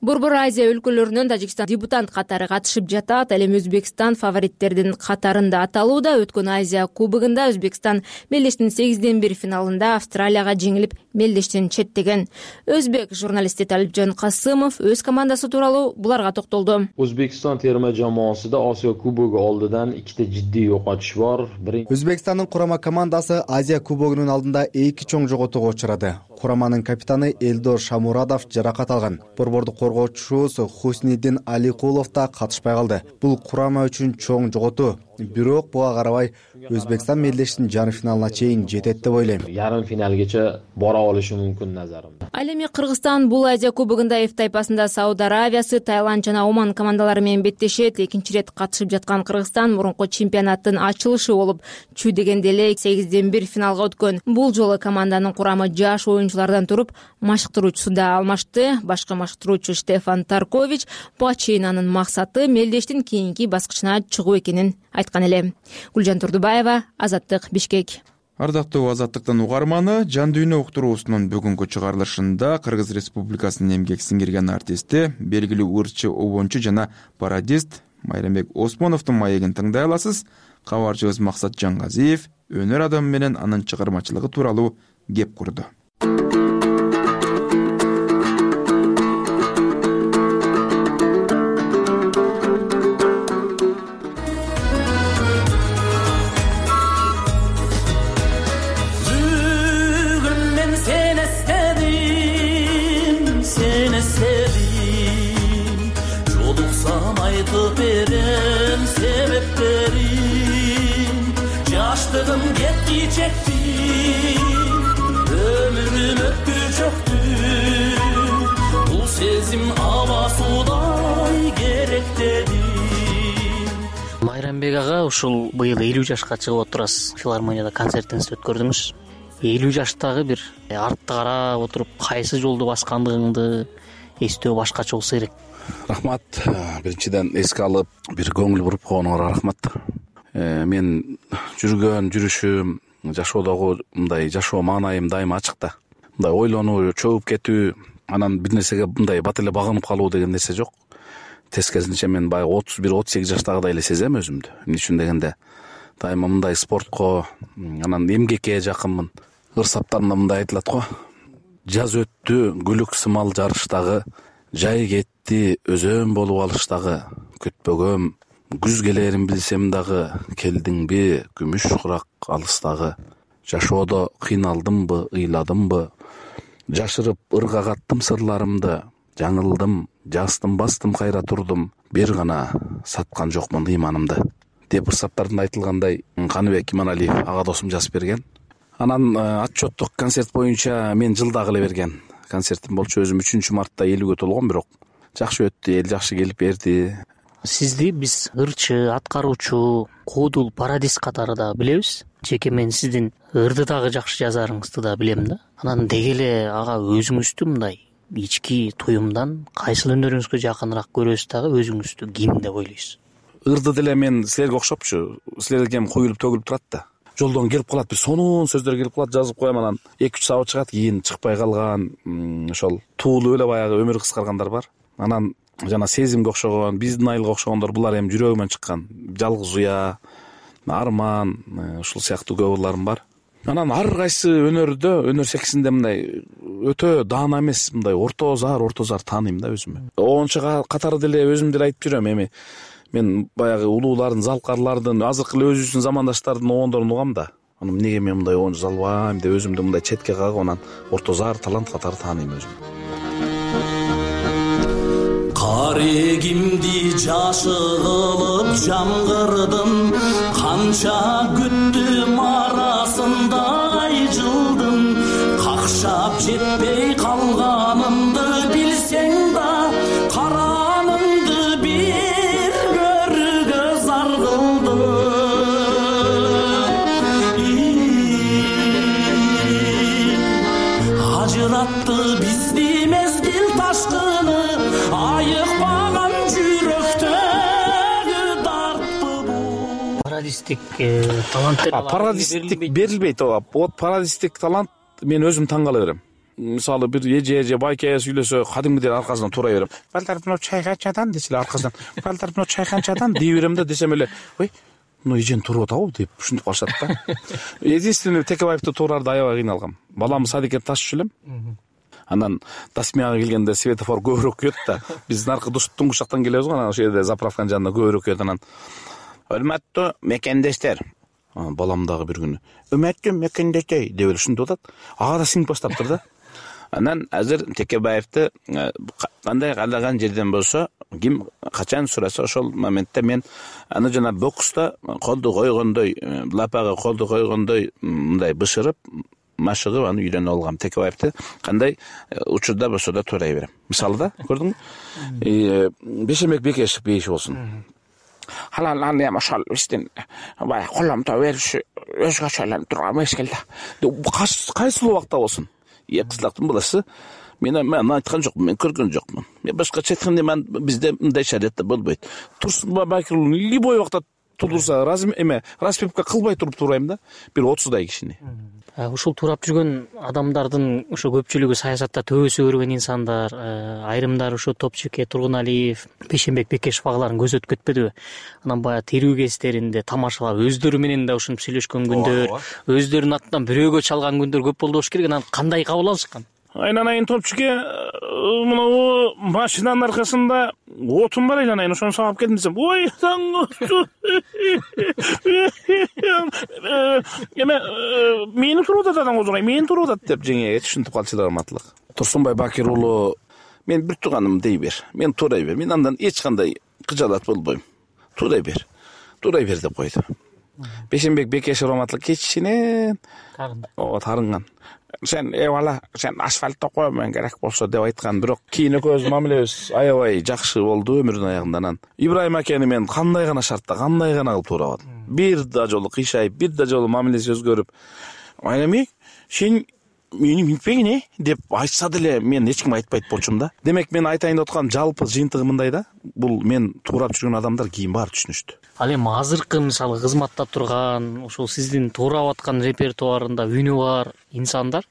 Борбор Азия өлкөлөрүнөн Тажикстан дебютант катары катышып жатат. Ал эми Өзбекстан фавориттердин катарында аталууда. Өткөн Азия кубогунда Өзбекстан мелдештин 8-1 финалында Австралияга жеңилип, мелдештен четтеген. Өзбек журналисти Талипжан Касымов өз командасы тууралуу буларга токтолду. O'zbekiston terma jamoasida Osiyo kubogi oldidan ikkita jiddiy yo'qotish bor. Өзбекстандын курама командасы Азия кубогунун алдында 2 чоң жоготууга учурады. Кураманын капитаны Элдор Шамурадов жаракат алган. Борбордук коргоочусу Хусниддин Аликулов да катышпай калды. Бул курама үчүн чоң жоготуу. Бирок буга карабай Өзбекстан мелдештин жарым финалына чейин жетет деп ойлойм. Ярым финалgacha бора олушу мүмкүн назарымда. Ал эми Кыргызстан бул Азия кубогунда F тайпасында Сауд Аравиясы, Таиланд жана Оман командалары менен беттешет. Экинчи рет катышып жаткан Кыргызстан мурунку чемпионаттын ачылышы болуп, чүй дегенде эле 8-1 финалга өткөн. Бул жолу команданын курамы жаш оюнчулардан туруп, машыктыруучусу да алмашты. Башкы машыктыруучу Штефан Таркович Бачинанын максаты мелдештин кийинки баскычына чыгуу экенин айткан эле. Гүлжан Турдубаева, Азаттык, Бишкек. Ардактуу Азаттыктан угарманы, Жан дүйнө уктуруусунун бүгүнкү чыгарылышында Кыргыз Республикасынын эмгек сиңирген артисти, белгилүү ырчы, обончу жана пародист Майрамбек Осмоновдун маегин тыңдай аласыз. Кабарчыбыз Максат Жангазиев өнөр адамы менен анын чыгармачылыгы тууралуу кеп курду. Майрамбек ага, ушул быйыл 50 жашка чыгып отурасыз. Филармонияда концертиңизди өткөрдүңүз. 50 жаштагы бир артты карап отуруп, кайсы жолду баскандыгыңды эстөө башкача болсо керек. Рахмат. Биринчиден эске алып, бир көңүл буруп койгонуңарга рахмат. Мен жүргөн жүрүшүм, жашоодогу мындай жашоо маанайым дайыма ачык да. Мындай ойлонуу, чөгүп кетүү, анан бир нерсеге мындай бат эле багынып калуу деген нерсе жок. Тескерисинче мен баягы 31-38 жаштагыдай эле сезем өзүмдү. Эмне үчүн дегенде, дайыма мындай спортко, анан эмгекке жакынмын. Ырсаптарымда мындай айтылат го. Жаз өттү, гүлүк сымал жарыштагы, жай кетти, өзөн болуп алыштагы, күтпөгөм, күз келерин билсем дагы, келдиңби, күмүш курак алыстагы. Жашоодо кыйналдымбы, ыйладымбы, жашырып ыргагаттым сырларымды, жаңылдым, жастым, бастым, кайра турдум, бир гана саткан жокмун ыйманымды деп ырсаптарында айтылгандай Каныбек Иманалиев ага досум жазып берген. Анан отчеттук концерт боюнча мен жылдагы эле берген концертим болчу. Өзүм 3 мартта 50-ге толгом, бирок жакшы өттү, эл жакшы келип берди. Сизди биз ырчы, аткаруучу, куудул, пародист катары да билебиз. Жеке мен сиздин ырды дагы жакшы жазарыңызды да билем да. Анан деги эле ага өзүңүздү мындай ички туюмдан кайсыл өнөрүңүзгө жакыныраак көрөсүз дагы, өзүңүздү ким деп ойлойсуз? Ырды деле мен силерге окшопчу, силерге кем куюлуп төгүлүп турат да. Жолдон келип калат, бир сонун сөздөр келип калат, жазып коем, анан 2-3 сабат чыгат, кийин чыкпай калган, ошол туулуп эле баягы өмүрү кыскаргандар бар. Анан жана сезимге окшогон, биздин айылга окшогондор, булар эми жүрөгүмөн чыккан. Жалгыз уя, арман, ушул сыяктуу көп ырларым бар. Анан ар кайсы өнөрдө, өнөр секисинде мындай өтө даана эмес, мындай орто зар тааныйм да өзүмө. Оончо катары деле өзүм деле айтып жүрөм, эми мен баягы улуулардын, залкарлардын, азыркы эле өзүбүздүн замандаштардын оондорун угам да. Анан эмнеге мен мындай оончу залбайм деп өзүмдү мындай четке кагып, анан орто зар талант катары тааныйм өзүм. Арегимди жашы кылып жамгырдым, канча күттүм арасында ай жылдым. Какшап жетпей калганымды билсең да, каранымды бир көргө зар кылдым. Ажыратты бизди мезгил ташкыны, айыкпаган жүрөктөгү дартпы бул. Парадистик таланттер парадисттик берилбейт. Вот парадисттик талант мен өзүм таң кала берем. Мисалы бир эже байке сүйлөсө кадимгидей аркасынан турай берем. Балдар чай канчадан десе аркасынан, балдар чай канчадан дей берем да, десем эле ой, эжен туруп атабы деп ушинтип калышат да. Единственный Текебаевди туурарды аябай кыйналгам. Балам садикке ташып элем. Анан Тасмияга келгенде светофор көбүрөөк күйөт да. Биз наркы туңгуш жактан келебиз го, анан ошол жерде заправканын жанында көбүрөөк күйөт. Анан өрмөттүү мекендештер, балам дагы бир күнү өрмөттүү мекендештер деп эле ушинтип атат. Ага да сиңип баштаптыр да. Анан азыр Текебаевди кандай каалаган жерден болсо, ким качан сураса ошол моментте мен аны жана бокста колду койгондой, лапага колду койгондой мындай бышырып, машыгып аны үйрөнүп алгам. Текебаевди кандай учурда болсо да турай берем. Мисалы да, көрдүңбү? Бейшембек Бекешев бейиши болсун. Халаланы эми ошол биздин баягы коломто бериши өзгөчө турган мезгилде. Кайсыл убакта болсун. Кызлактын баласы мен айткан жокмун, мен көргөн жокмун. Мен башкача айтканда мен бизде мындай шариатта болбойт. Турсун Бакирулу любой убакта тудурса, распипка кылбай туруп турайм да, бир 30дай кишини. Ушул туурап жүргөн адамдардын ошо көпчүлүгү саясатта төбөсү көргөн инсандар, айрымдары ошо Топчуке, Тургуналиев, Бейшембек Бекешев агаларын көз өтүп кетпедиби? Анан баягы тирүү кездеринде тамашалап, өздөрү менен да ушинтип сүйлөшкөн күндөр, өздөрүнүн атынан бирөөгө чалган күндөр көп болду болуш керек. Анан кандай кабыл алышкан? Айнанайын Топчуке, мына машинанын аркасында отун бар айнанайын, ошону сабап келдим десем, ой, эме мени туруп атат адам козгой, мени туруп атат деп жеңеге түшүнүп калчу ырматтылык. Турсунбай Бакир уулу, мен бир тууганым дей бер, мен турай бер, мен андан эч кандай кыжаалат болбойм. Турай бер деп койду. Бейшембек Бекешев ырматтылык кечинен тарынган. Сен бала, сен асфальтта коймоң керек болсо деп айткан, бирок кийин экөөбүз мамилебиз аябай жакшы болду өмүрүнүн аягында. Анан Ибрайым акени мен кандай гана шартта, кандай гана кылып туурабадым. Бир да жолу кыйшайып, бир да жолу мамилеси өзгөрүп, айнами сен мени минтпегин деп айтса деле мен эч ким айтпайт болчумун да. Демек мен айтайын деп аткан жалпы жыйынтыгы мындай да. Бул мен туурап жүргөн адамдар кийин баары түшүнүштү. Ал эми азыркы мисалы кызматта турган, ошол сиздин туурап аткан репертуарында үнү бар инсандар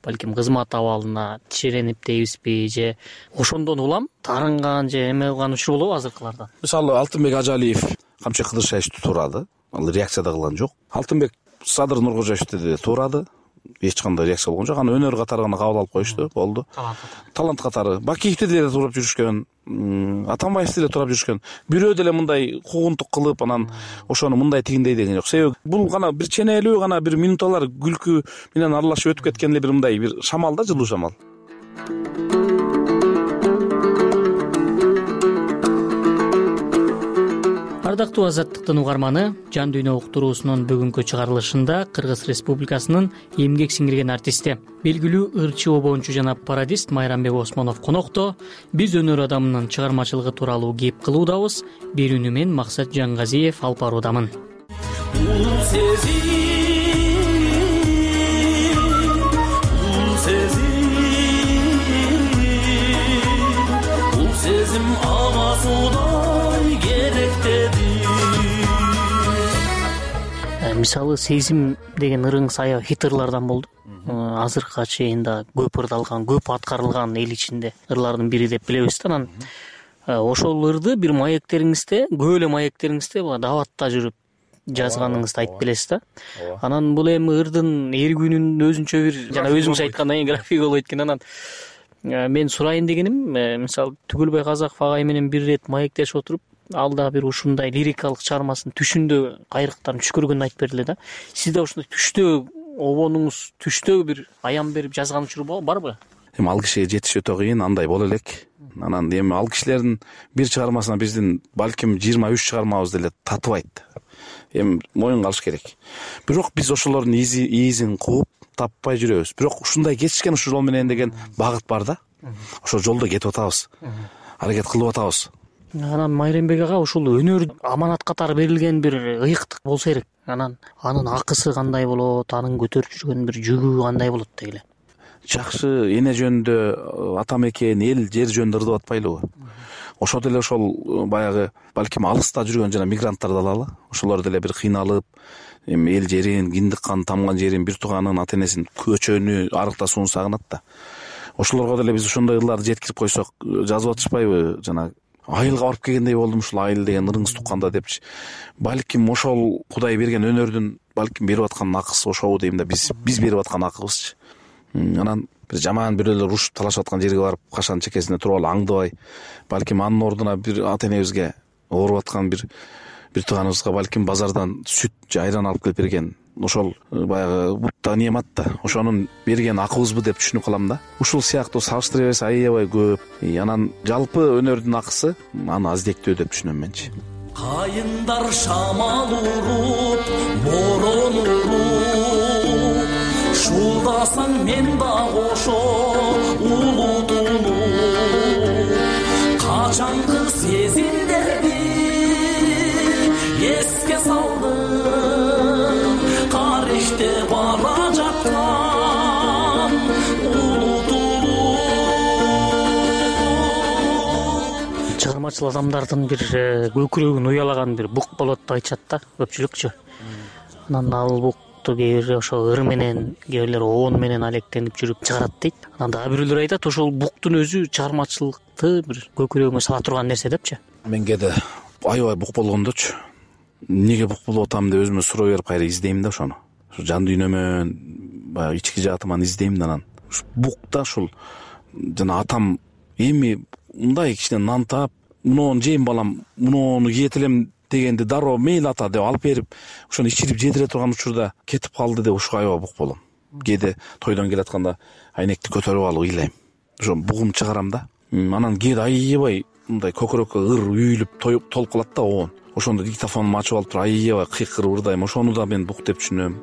балким кызмат абалына тишеренип дейбизби, же ошондон улам тарынган же эме кылган учур болобу азыркыларда? Мисалы Алтынбек Ажалиев Камчы Кыдыршаевди туурады, ал реакция да кылган жок. Алтынбек Садыр Нуркожоевди да туурады, эч кандай реакция болгон жок. Аны өнөр катары гана кабыл алып коюшту, болду. Талант катары. Бакиевди деле туурап жүрүшкөн, Атамбаевди деле туурап жүрүшкөн. Бирөө деле мындай куугунтук кылып, анан ошону мындай тигиндей деген жок. Себеби бул гана бир ченелүү гана бир минуталар күлкү менен аралашып өтүп кеткен эле бир мындай бир шамал да, жылуу шамал. Ардактуу Азаттыктын угарманы, Жан дүйнө уктуруусунун бүгүнкү чыгарылышында Кыргыз Республикасынын эмгек сиңирген артисти, белгилүү ырчы обончу жана пародист Майрамбек Осмонов конокто. Биз өнөр адамынын чыгармачылыгы тууралуу кеп кылуудабыз. Берүүнү мен Максат Жаңгазиев алып баруудамын. Сезим авасудай керектеди. Мисалы сезим деген ырыңыз аябай хиттырлардан болду. Азыркыга чейин да көп ырдалган, көп аткарылган эл ичинде ырлардын бири деп билебиз да. Анан ошол ырды бир маектериңизде, көп эле маектериңизде дааватта жүрүп жазганыңызды айтып келесиз да. Анан бул эми ырдын эргүүнүн өзүнчө бир жана өзүңүз айткандай график болот экен. Анан мен сурайын дегеним, мисалы Түгөлбай Казаков агай менен бир ирет маектешип отуруп, алда бир ушундай лирикалык чыгармасын түшүндө кайрыктарын түш көргөнүн айтып берди да. Сизде ушундай түштө обонуңуз, түштө бир аян берип жазган учур барбы? эми ал кишиге жетиш өтө кыйын, андай боло элек. Анан эми ал кишилердин бир чыгармасына биздин балким 23 чыгармабыз деле татыбайт. Эми моюнга алыш керек. Бирок биз ошолордун изин кууп таппай жүрөбүз. Бирок ушундай кетишкен ушул жол менен деген багыт бар да. Ошол жолдо кетип атабыз. Аракет кылып атабыз. Анан Майрембек ага ушул өнөр аманат катары берилген бир ыйыктык болсо керек. Анан анын акысы кандай болот, анын көтөрүп жүргөн бир жүгү кандай болот дегиле. Жакшы эне жөнүндө, ата мекен, эл, жер жөнүндө ырдап атпайлыбы? Ошол деле ошол баягы балким алыста жүргөн жана мигранттарды алалы. Ошолор деле бир кыйналып, эми эл жерин, киндик кан тамган жерин, бир тууганын, ата энесин, көчөнү, арыктасууну сагынат да. Ошолорго деле биз ошондой ырларды жеткирип койсок, жазып атышпайбы? Жана айылга барып келгендей болдум ушул айыл деген ырыңыз тукканда депчи. Балким ошол Кудай берген өнөрдүн балким берип аткан акысы ошобу дейм да, биз берип аткан акыбызчы. Анан бир жаман бирөөлөр урушуп талашып аткан жерге барып кашанын чекесине туруп алып аңдыбай, балким анын ордуна бир ата энебизге ооруп аткан бир тууганыбызга балким базардан сүт же айран алып келип берген. Ошол баягы бутта немат да. Ошонун берген акыбызбы деп түшүнүп калам да. Ушул сыяктуу салыштыра берсе аябай көп. Анан жалпы өнөрдүн акысы аны аздектөө деп түшүнөм менчи. Кайындар шамал уруп, борон уруп, шулдасаң мен да кошо улутулуу. Качанкы сезимдерди эске салдым, тарихте бара жаткан улутулуу. Чыгармачыл адамдардын бир көкүрөгүн уялаган бир бук болот деп айтышат да көпчүлүкчү. Анан ал букту кээ бир ошо ыр менен, кээ бирлер оон менен алектенип жүрүп чыгарат дейт. Анан дагы бирөөлөр айтат ошол буктун өзү чыгармачылыкты бир көкүрөгүмө сала турган нерсе депчи. Менге да аябай бук болгондочу. Неге бук болуп атам деп өзүмө суроо берип кайра издейм да ошону. Ошо жан дүйнөмөн, баягы ички жаатыман издейм да анан. Ушу букта ушул жана атам эми мындай кичине нан таап, муну жейм балам, муну кийет элем дегенди дароо мейли ата деп алып берип, ошону ичирип жедире турган учурда кетип калды деп ушуга аябай бук болом. Кээде тойдон келатканда айнекти көтөрүп алып ыйлайм. Ошо бугум чыгарам да. Анан кээде аябай мындай көкүрөккө ыр үйүлүп толуп калат да оон. Ошондо диктофонумду ачып алып туруп аябай кыйкырып ырдайм. Ошону да мен бук деп түшүнөм.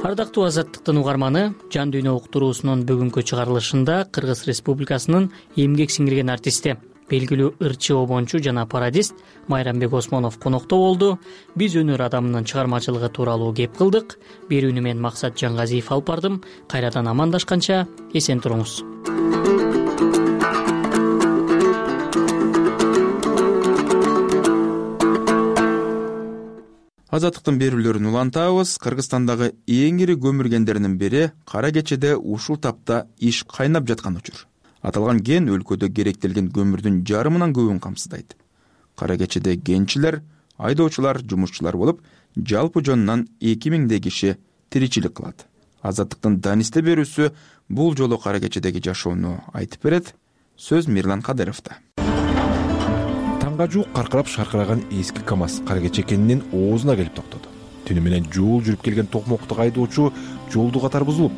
Ардактуу Азаттыктын угарманы, Жан дүйнө уктуруусунун бүгүнкү чыгарылышында Кыргыз Республикасынын эмгек сиңирген артисти, белгилүү ырчы, обончу жана пародист Майрамбек Осмонов конокто болду. Биз өнөр адамынын чыгармачылыгы тууралуу кеп кылдык. Берүүнү мен Максат Жангазиев алып бардым. Кайрадан амандашканча эсен туруңуз. Азаттыктын берүүлөрүн улантабыз. Кыргызстандагы эң ири көмүр кендеринин бири Кара Кечеде ушул тапта иш кайнап жаткан учур. Аталган кен өлкөдө керектелген көмүрдүн жарымынан көбүн камсыздайт. Кара Кечеде кенчилер, айдоочулар, жумушчулар болуп, жалпы жонунан 2000 киши тиричилик кылат. Азаттыктын данисте берүүсү бул жолу Кара Кечедеги жашоону айтып берет. Сөз Мирлан Кадыровдо. Таңга жуук каркырап шаркыраган эски КАМАЗ Кара Кече кенинин оозуна келип токтоду. Түнү менен жол жүрүп келген токмоктук айдоочу жолду катар бузулуп,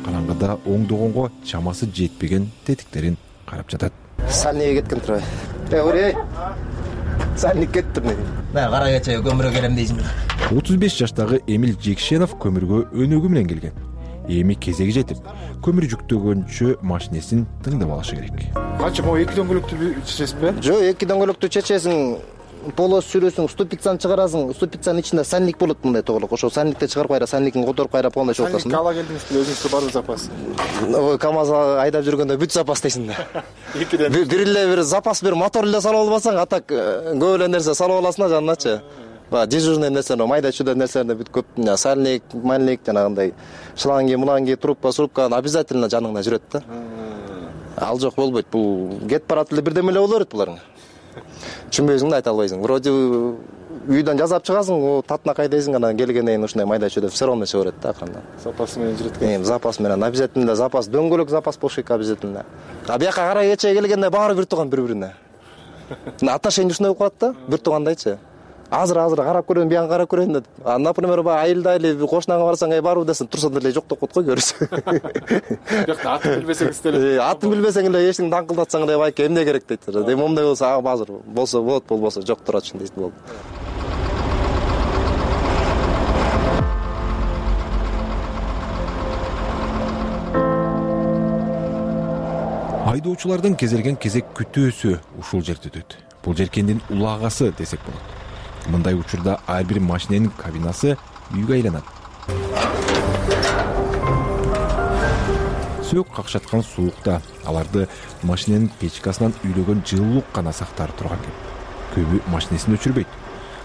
караңгыда оңдогонго чамасы жетпеген тетиктерин карап жатат. Сальникке кеткен турбай. Эй, сальник кетти мен. Мен Кара Кечеге көмүргө келем дейсиң. 35 жаштагы Эмил Жекшенов көмүргө өнөгү менен келген. Эми кезеги жетип, көмүр жүктөгөнчө машинесин тыңдап алышы керек. Канча могу 2 дөңгөлөктү чечесизби? Жок, 2 дөңгөлөктү чечесиң, полос сүрөсүң, ступицаны чыгарасың, ступицанын ичинде сальник болот мындай тоголок. Ошол сальникти чыгарып кайра, сальникин которуп кайра полный чогултасың. Сальник ала келдиңизби, өзүңүздө барбы запас? Ой, КАМАЗ айдап жүргөндө бүт запас дейсиң да. Бир эле бир запас, бир мотор эле салып албасаң, атак көп эле нерсе салып аласың да жаныначы. Дежурный нерселер, майда чүйдө нерселерде бүт көп, сальник, мальник жанагындай шланги, муланги, трубка обязательно жаныңда жүрөт да. Ал жок болбойт. Бул кетип барат эле бирдеме эле боло берет буларга. Түшүнбөйсүң да, айта албайсың. Вроде үйдөн жазап чыгасың, татына кайдайсың, анан келгенден кийин ушундай майда чүйдө все равно чыга берет да акырында. Запас менен жүрөт экен. Запас менен обязательно запас, дөңгөлөк запас болуш керек обязательно. А бияка Кара Кечеге келгенде баары бир тууган бири-бирине. Отношение ушундай болуп калат да, бир туугандайчы. азыр карап көрөйүн, биян карап көрөйүн деп. Например, баягы айылда кошунаңа барсаң, барбы десең, турса деле жок деп коет го көрүсү. Бияқта атын билбесеңиз деле. Атын билбесең эле эчтеке даңкылдатсаң эле байке эмне керек дейт. Эми момундай болсо, азыр болсо болот, болбосо жок турат дейт болду. Айдоочулардын кезелген кезек күтүүсү ушул жерде өтөт. Бул жер кендин улагасы десек болот. Мындай учурда ар бир машиненин кабинасы үйгө айланат. Сөөк какшаткан суукта аларды машиненин печкасынан үйлөгөн жылуулук гана сактар турган экен. Көбү машинесин өчүрбөйт.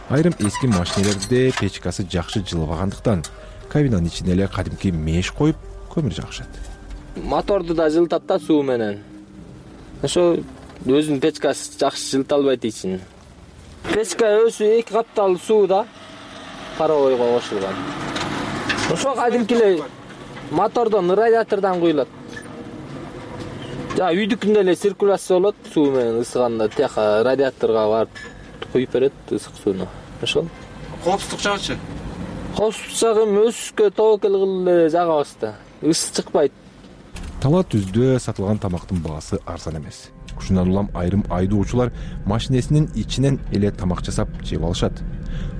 Айрым эски машинелерде печкасы жакшы жылыбагандыктан кабинанын ичине эле кадимки меш коюп көмүр жагышат. Моторду да жылытат да суу менен. Ошо өзүнүн печкасы жакшы жылыта албайт ичин. Печка өзү 2 каптал сууда паровойго кошулган. Ошо кадимки эле мотордон, радиатордон куюлат. Үйдүкүндө эле циркуляция болот, суу менен ысыганда тияка радиаторго барып куюп берет ысык сууну. Ошол. Коопсуздук жагычы? Коопсуздук жагы өсүккө тобокел кылып эле жагабыз да. Ысы чыкпайт. Тала түздө сатылган тамактын баасы арзан эмес. Ушундан улам айрым айдоочулар машинесинин ичинен эле тамак жасап жеп алышат.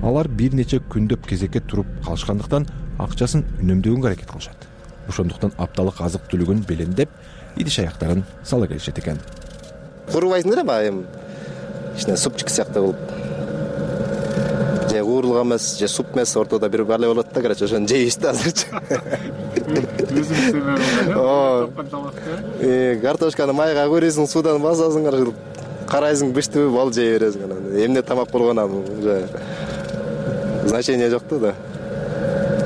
Алар бир нече күндөп кезекке туруп калышкандыктан акчасын үнөмдөгөнгө аракет кылышат. Ошондуктан апталык азык түлүгүн белендеп, идиш аяктарын сала келишет экен. Курубайсыңдар эми эми ичине супчик сыяктуу болуп. Же куурлук эмес, же суп эмес, ортодо бир бале болот да, короче, ошону жейбиз да азырчы. Картошканы майга көрөсүң, суудан басасың, карайсың быштыбы, бал жей бересиң анан. Эмне тамак болгонун значение жок да.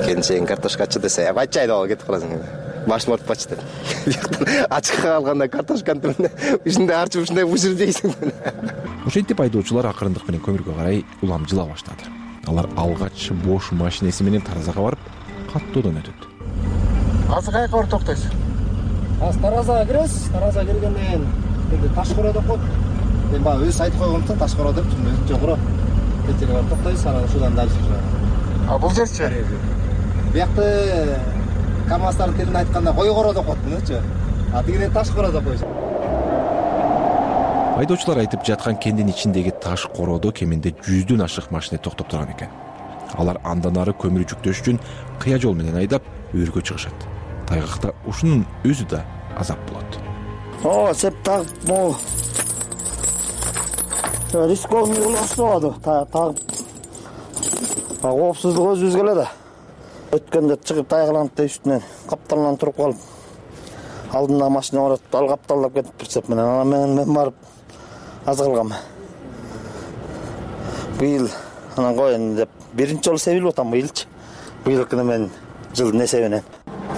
Келинчегиң картошкачы десе, бачай да кетип каласың. Башым ортуп бачы деп. Ачыкка калганда картошканы ушундай арчып ушундай бышырып жейсиң. Ошентип айдоочулар акырындык менен көмүргө карай улам жыла баштады. Алар алгач бош машинеси менен таразага барып, каттоодон өтөт. Азыр каяка барып токтойсуз? Азыр таразага киресиз. Таразага киргенден кийин Ташкоро деп коет. Мен баягы өзү айтып койгонмун, Ташкоро деп, өзү жогору. Кетип барып токтойсуз, анан ушудан дальше. Бул жерчи? Биякты КамАЗдардын тилинде айтканда койгоро деп коет, мынчы. Тигинен Ташкоро деп коюш. Айдоочулар айтып жаткан кендин ичиндеги таш короодо кеминде 100дөн ашык машина токтоп турган экен. Алар андан ары көмүр жүктөш үчүн кыя жол менен айдап өргө чыгышат. Тайгакта ушунун өзү да азап болот. Сеп тагып, могу рисковный болду. Тагып. Коопсуздук өзүбүзгө эле да. Өткөндө чыгып тайгаланып үстүнөн капталдан туруп калып, алдында машина барат, ал капталдап кетип прицеп менен. Анан мен барып аз калганмын. Быйыл анан коеюн деп биринчи жолу себилип атам быйылчы. Быйылкыны мен жылдын эсебинен.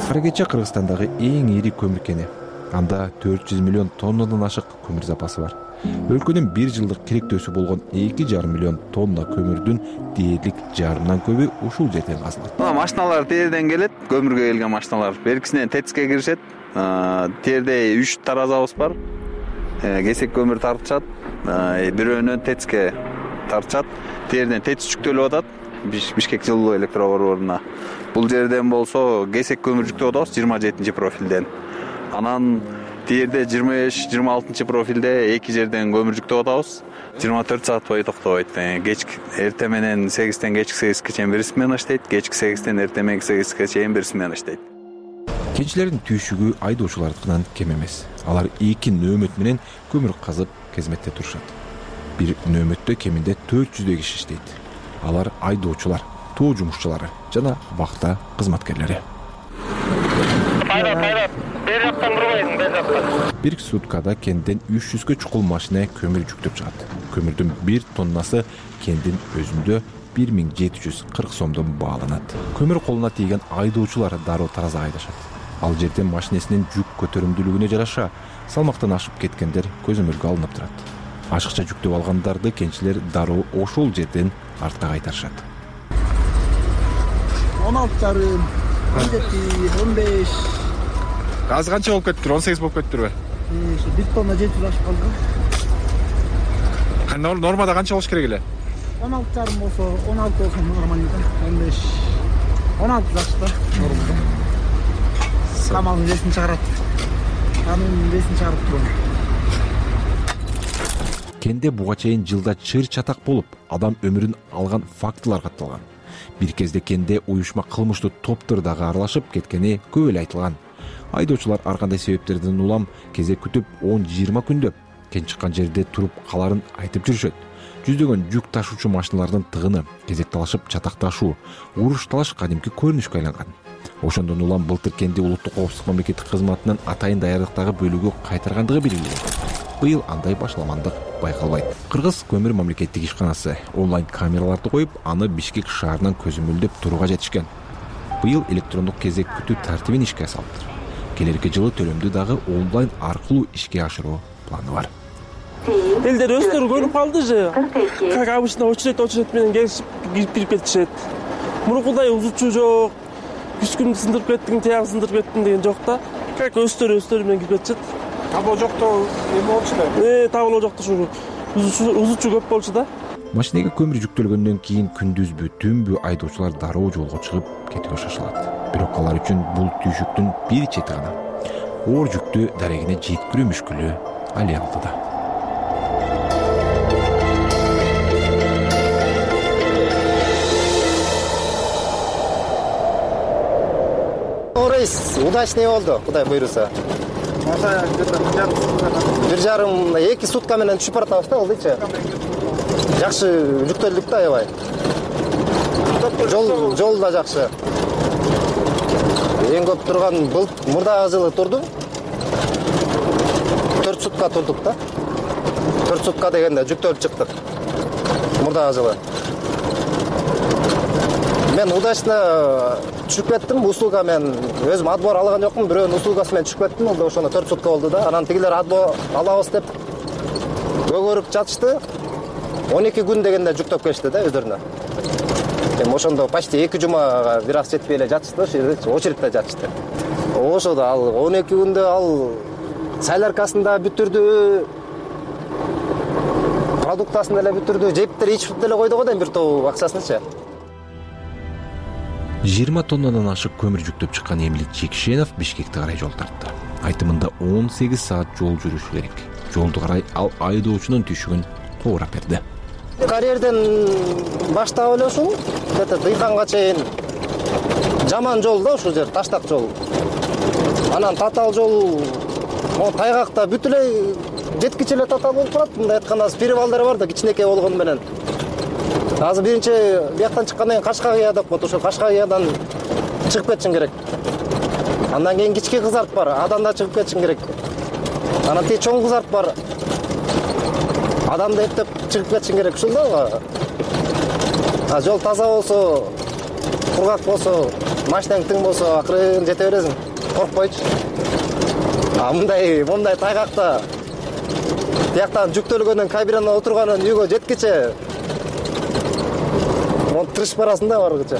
Каракече Кыргызстандагы эң ири көмүр кени. Анда 400 миллион тоннадан ашык көмүр запасы бар. Өлкөнүн бир жылдык керектөөсү болгон 2,5 миллион тонна көмүрдүн дээрлик жарымдан көбү ушул жерден казылат. Машиналар терден келет, көмүргө келген машиналар. Беркисинен ТЭЦке киришет. Терде 3 таразабыз бар. Кесек көмүр тартышат. Бирөөнөн ТЭЦке тартышат. Терден ТЭЦ жүктөлүп атат. Бишкек жылуу электробордуна. Бул жерден болсо кесек көмүр жүктөп атабыз 27 профилден. Анан терде 25-26 профилде эки жерден көмүр жүктөп атабыз. 24 саат бою токтобойт. Кечки эртең менен 8тен кечки 8ге чейин бир смена иштейт, кечки 8тен эртең менен 8ге чейин бир смена иштейт. Кенчилердин түйшүгү айдоочулардыкынан кем эмес. Алар 2 нөөмөт менен көмүр казып кызметте турушат. Бир нөөмөттө кеминде 400 киши иштейт. Алар айдоочулар, тоо жумушчулары жана вахта кызматкерлери. Бер жактан бурбайсың, бер жактан. Бир суткада кенден 300гө чукул машина көмүр жүктөп чыгат. Көмүрдүн 1 тоннасы кендин өзүндө 1740 сомдон бааланат. Көмүр колуна тийген айдоочулар дароо таразага айдашат. Ал жерден машинесинин жүк көтөрүмдүүлүгүнө жараша салмактан ашып кеткендер көзөмөлгө алынып турат. Ашыкча жүктөп алгандарды кенчилер дароо ошол жерден артка кайтарышат. 16,5, 15. Азыр канча болуп кетиптир? 18 болуп кетиптирби? 1 тонна 700 ашып калды. Нормада канча болуш керек эле? 16,5 болсо 16 болсо нормально да. 15 16 жакшы да. Нормально. Камалдын весин чыгарат. Анын весин чыгарып турам. Кенде буга чейин жылда чыр чатак болуп, адам өмүрүн алган фактылар катталган. Бир кезде кенде уюшма кылмыштуу топтор дагы аралашып кеткени көп эле айтылган. Айдоочулар ар кандай себептерден улам кезек күтүп 10-20 күндөп кен чыккан жерде туруп каларын айтып жүрүшөт. Жүздөгөн жүк ташуучу машиналардын тыгыны, кезек талашып чатакташуу, уруш талаш кадимки көрүнүшкө айланган. Ошондон улам былтыр кенди улуттук коопсуздук мамлекеттик кызматынын атайын даярдыктагы бөлүгү кайтаргандыгы белгиленген. Быйыл андай башаламандык байкалбайт. Кыргыз көмүр мамлекеттик ишканасы онлайн камераларды коюп, аны Бишкек шаарынан көзөмөлдөп турууга жетишкен. Быйыл электрондук кезек күтүү тартибин ишке салыптыр. Келерки жылы төлөмдү дагы онлайн аркылуу ишке ашыруу планы бар. Элдер өздөрү көрүп калды же. Как обычно очередь менен келишип кирип кетишет. Мурункудай узучу жок. Күскүндү сындырып кеттиң, тиягы сындырып кеттиң деген жок да. Как өздөрү менен кирип кетишет. Табло жокто эме болчу да. Табло жокто ушу узучу көп болчу да. Машинеге көмүр жүктөлгөндөн кийин күндүзбү, түнбү айдоочулар дароо жолго чыгып кетүүгө шашылат. Бирок алар үчүн бул түйшүктүн бир чети гана. Оор жүктү дарегине жеткирүү мүшкүлү али алдыда. Удачный болду, Кудай буйруса. 1,5-2 сутка менен түшүп баратабыз да, ылдыйчы. Жакшы жүктөлдүк да, аябай. Жол да жакшы. Эң көп турган мурдагы жылы турду. 4 сутка турдук да. 4 сутка дегенде жүктөлүп чыктык. Мурдагы жылы. Мен удачно түшүп кеттим, услуга мен өзүм отбор алган жокмун, бирөөнүн услугасы менен түшүп кеттим, ол ошондо 4 сутка болду да. Анан тигилер отбор алабыз деп өгөрүп жатышты. 12 күн дегенде жүктөп келишти да өздөрүнө. Эми ошондо почти 2 жумага бир аз жетпей эле жатышты, ошол жерде очередте жатышты. Ошодо ал 12 күндө ал соляркасын да бүтүрдү, продуктасын деле бүтүрдү, жептер ичип деле койду го да бир топ акчасынчы. 20 тоннадан ашык көмүр жүктөп чыккан Эмилет Жекшенов Бишкекке карай жол тартты. Айтымында 18 саат жол жүрүш керек. Жолду карай ал айдоочунун түйшүгүн куурап берди. Карьерден баштап эле ушул, дыйканга чейин жаман жол да, ушул жер таштак жол. Анан татаал жол, тайгакта бүт эле жеткиче эле татаал болуп калат. Мындай айтканда перевалдар бар да, кичинекей болгону менен. Азыр биринчи бияктан чыккандан кийин Кашкагыя деп коет, ошол Кашкагыядан чыгып кетишиң керек. Андан кийин кички кызарт бар, адан да чыгып кетишиң керек. Анан тиги чоң кызарт бар. Адамды эптеп чыгып кетишиң керек ушул да. Жол таза болсо, кургак болсо, машинең тың болсо, акырын жете бересиң, коркпойчу. Мындай тайгакта тияктан жүктөлгөндөн кабинада отурганын үйгө жеткиче тырышып барасың да баргыча.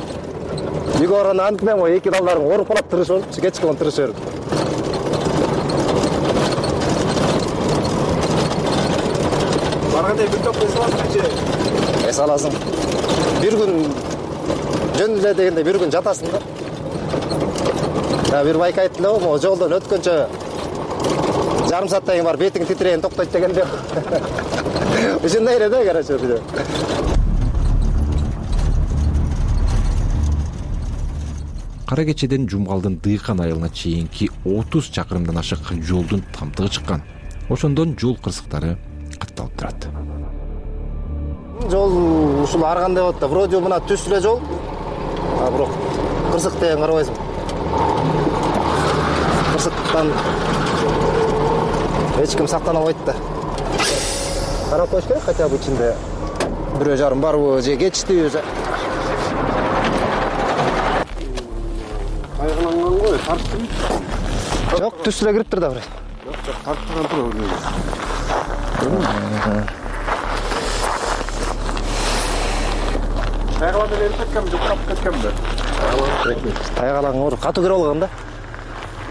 Үйгө барганда антинен го эки далдарың ооруп калат, тырышып, кечке он тырышып берип. Барганда бир топ эс аласың же? Эс аласың. Бир күн жөн эле дегенде бир күн жатасың да. Бир байка айтты эле, могу жолдон өткөнчө жарым сааттан кийин барып бетиң титиреген токтойт дегенде. Ушундай эле да, короче. Кара кечеден Жумгалдын Дыйкан айылына чейинки 30 чакырымдан ашык жолдун тамтыгы чыккан. Ошондон жол кырсыктары катталып турат. Жол ушул ар кандай болот да, вроде мына түз эле жол. Бирок кырсык деген карабайсың. Кырсыктан эч ким сактана албайт да. Карап коюш керек, хотя бы ичинде бирөө жарым барбы же кетиштиби же. Кайгыланган го, тарттым. Жок, түз эле кириптир да бир. Жок, тарттырган туруп. Тайгалан эле кеткем, жукап кеткемби? Тайгалан катуу кирип алган да.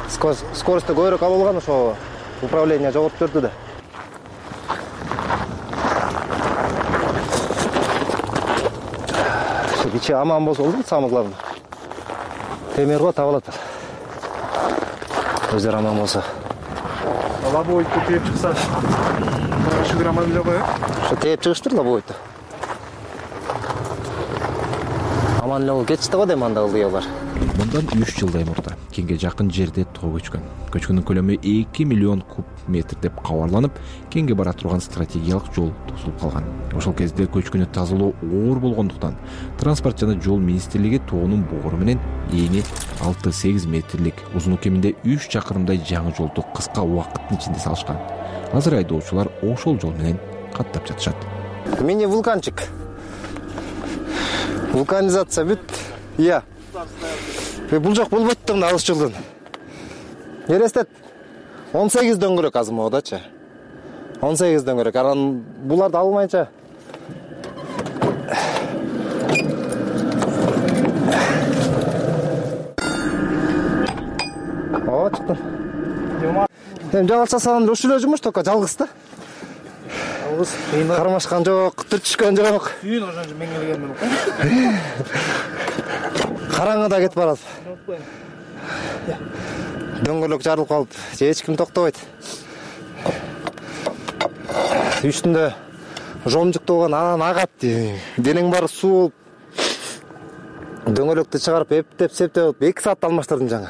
Скоросту көбүрөөк алып алган, ошо управление жогору төрдү да. кичи аман болсо болду. Самый главный. Темир го табылат. Өздөрү аман болсо. Лобовойду тээп чыкса, шүгүр аман эле го. Ошо тээп чыгыштыр лобовойду. Аман эле кетишти го дейм анда кылды алар. Мындан 3 жылдай мурда кеңге жакын жерде тоо көчкөн. Көчкүнүн көлөмү 2 миллион куб метр деп кабарланып, кеңге бара турган стратегиялык жол тосулуп калган. Ошол кезде көчкүнү тазалоо оор болгондуктан транспорт жана жол министрлиги тоонун богору менен эни 6-8 метрлик, узуну кеминде 3 чакырымдай жаңы жолду кыска убакыттын ичинде салышкан. Азыр айдоочулар ошол жол менен каттап жатышат. Мини вулканчик. Вулканизация бүт. Иә. Бул жок болбойт да мына алыс жолдон. Элестет. 18 дөңгөлөк азыр могудачы. 18 дөңгөлөк. Анан буларды албайынча О, чыктым. Жалгыз жасаган ушул эле жумуш, только жалгыз да. Жалгыз. Кармашкан жок, түртүшкөн жок. Сүйүн ошончо меңгелген менен. Караңгыда кетип барат. Дөңгөлөк жарылып калып, эч ким токтобойт. Үстүндө жомжуктуу болгон анан агат. Денең баары суу болуп. Дөңгөлөктү чыгарып, эптеп-септеп 2 саатта алмаштырдым жаңы.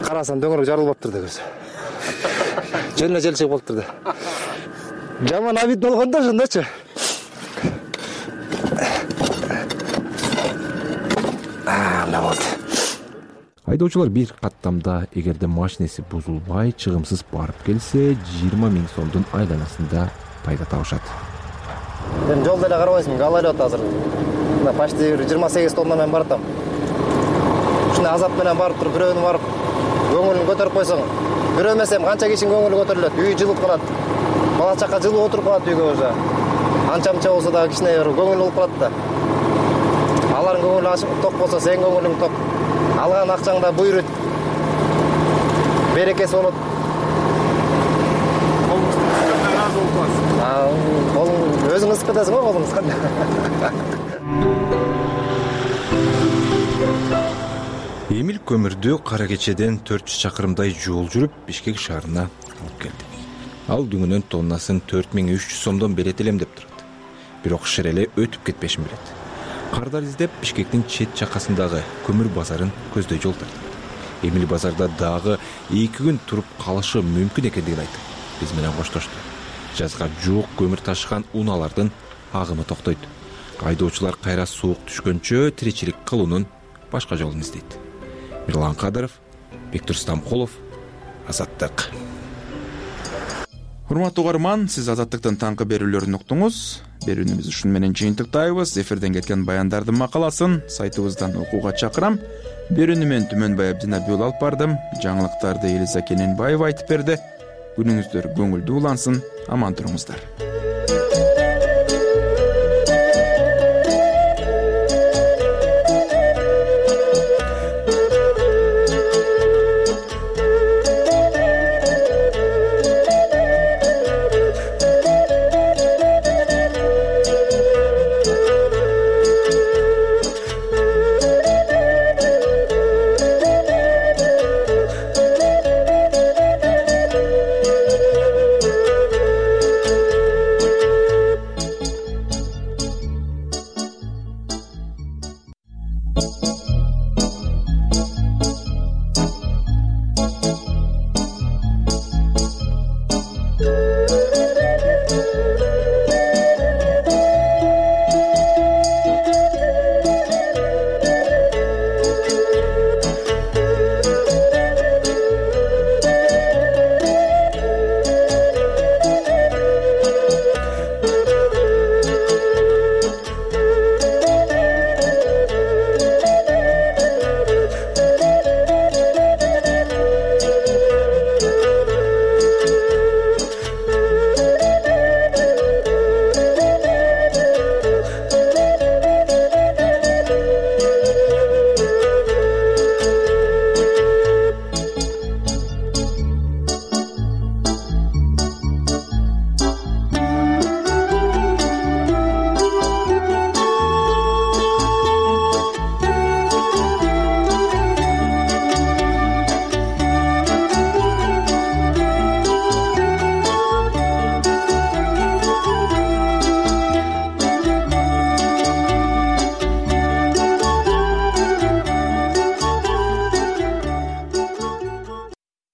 Карасам дөңгөлөк жарылып атыр да көз. Жөн эле чыгып болуптур да. Жаман абит болгондо ошондочу. Айдоочулар бир каттамда эгерде машинеси бузулбай, чыгымсыз барып келсе, 20 000 сомдун айланасында пайда табышат. Мен жолдо эле карабайсың, галайлап азыр. Мына почти 28 тонна менен баратам. Ушундай азап менен барып туруп, бирөөнү барып көңүлүн көтөрүп койсоң, бирөө эмес эми канча кишинин көңүлү көтөрүлөт, үй жылып калат. Бала чака жылып отуруп калат үйгө уже. Анча-мынча болсо да кичине көңүл болуп калат да. Алардын көңүлү ачык ток болсо, сен көңүлүң ток. Алган акчаңда буйрут. Берекеси болот. Колуң өзүң ысып кетесиң го, колуң ысканда. Эмил көмүрдү Кара Кечеден 400 чакырымдай жол жүрүп Бишкек шаарына алып келди. Ал дүңүнөн тоннасын 4300 сомдон берет элем деп турат. Бирок шереле өтүп кетпешин билет. Кардар издеп Бишкектин чет чакасындагы көмүр базарын көздөй жол тартат. Эмил базарда дагы 2 күн туруп калышы мүмкүн экендигин айтып, биз менен коштошту. Жазга жуук көмүр ташыган унаалардын агымы токтойт. Айдоочулар кайра суук түшкөнчө тиричилик кылуунун башка жолун издейт. Мирлан Кадыров, Бектур Стамкулов, Азаттык. Урматтуу угарман, сиз Азаттыктын таңкы берүүлөрүн уктуңуз. Берүүнүбүздү ушун менен жыйынтыктайбыз. Эфирден кеткен баяндардын макаласын сайтыбыздан окууга чакырам. Берүүнү мен Түмөнбай Абдинабиул алып бардым. Жаңылыктарды Элиза Кененбаева айтып берди. Күнүңүздөр көңүлдүү улансын, аман туруңуздар.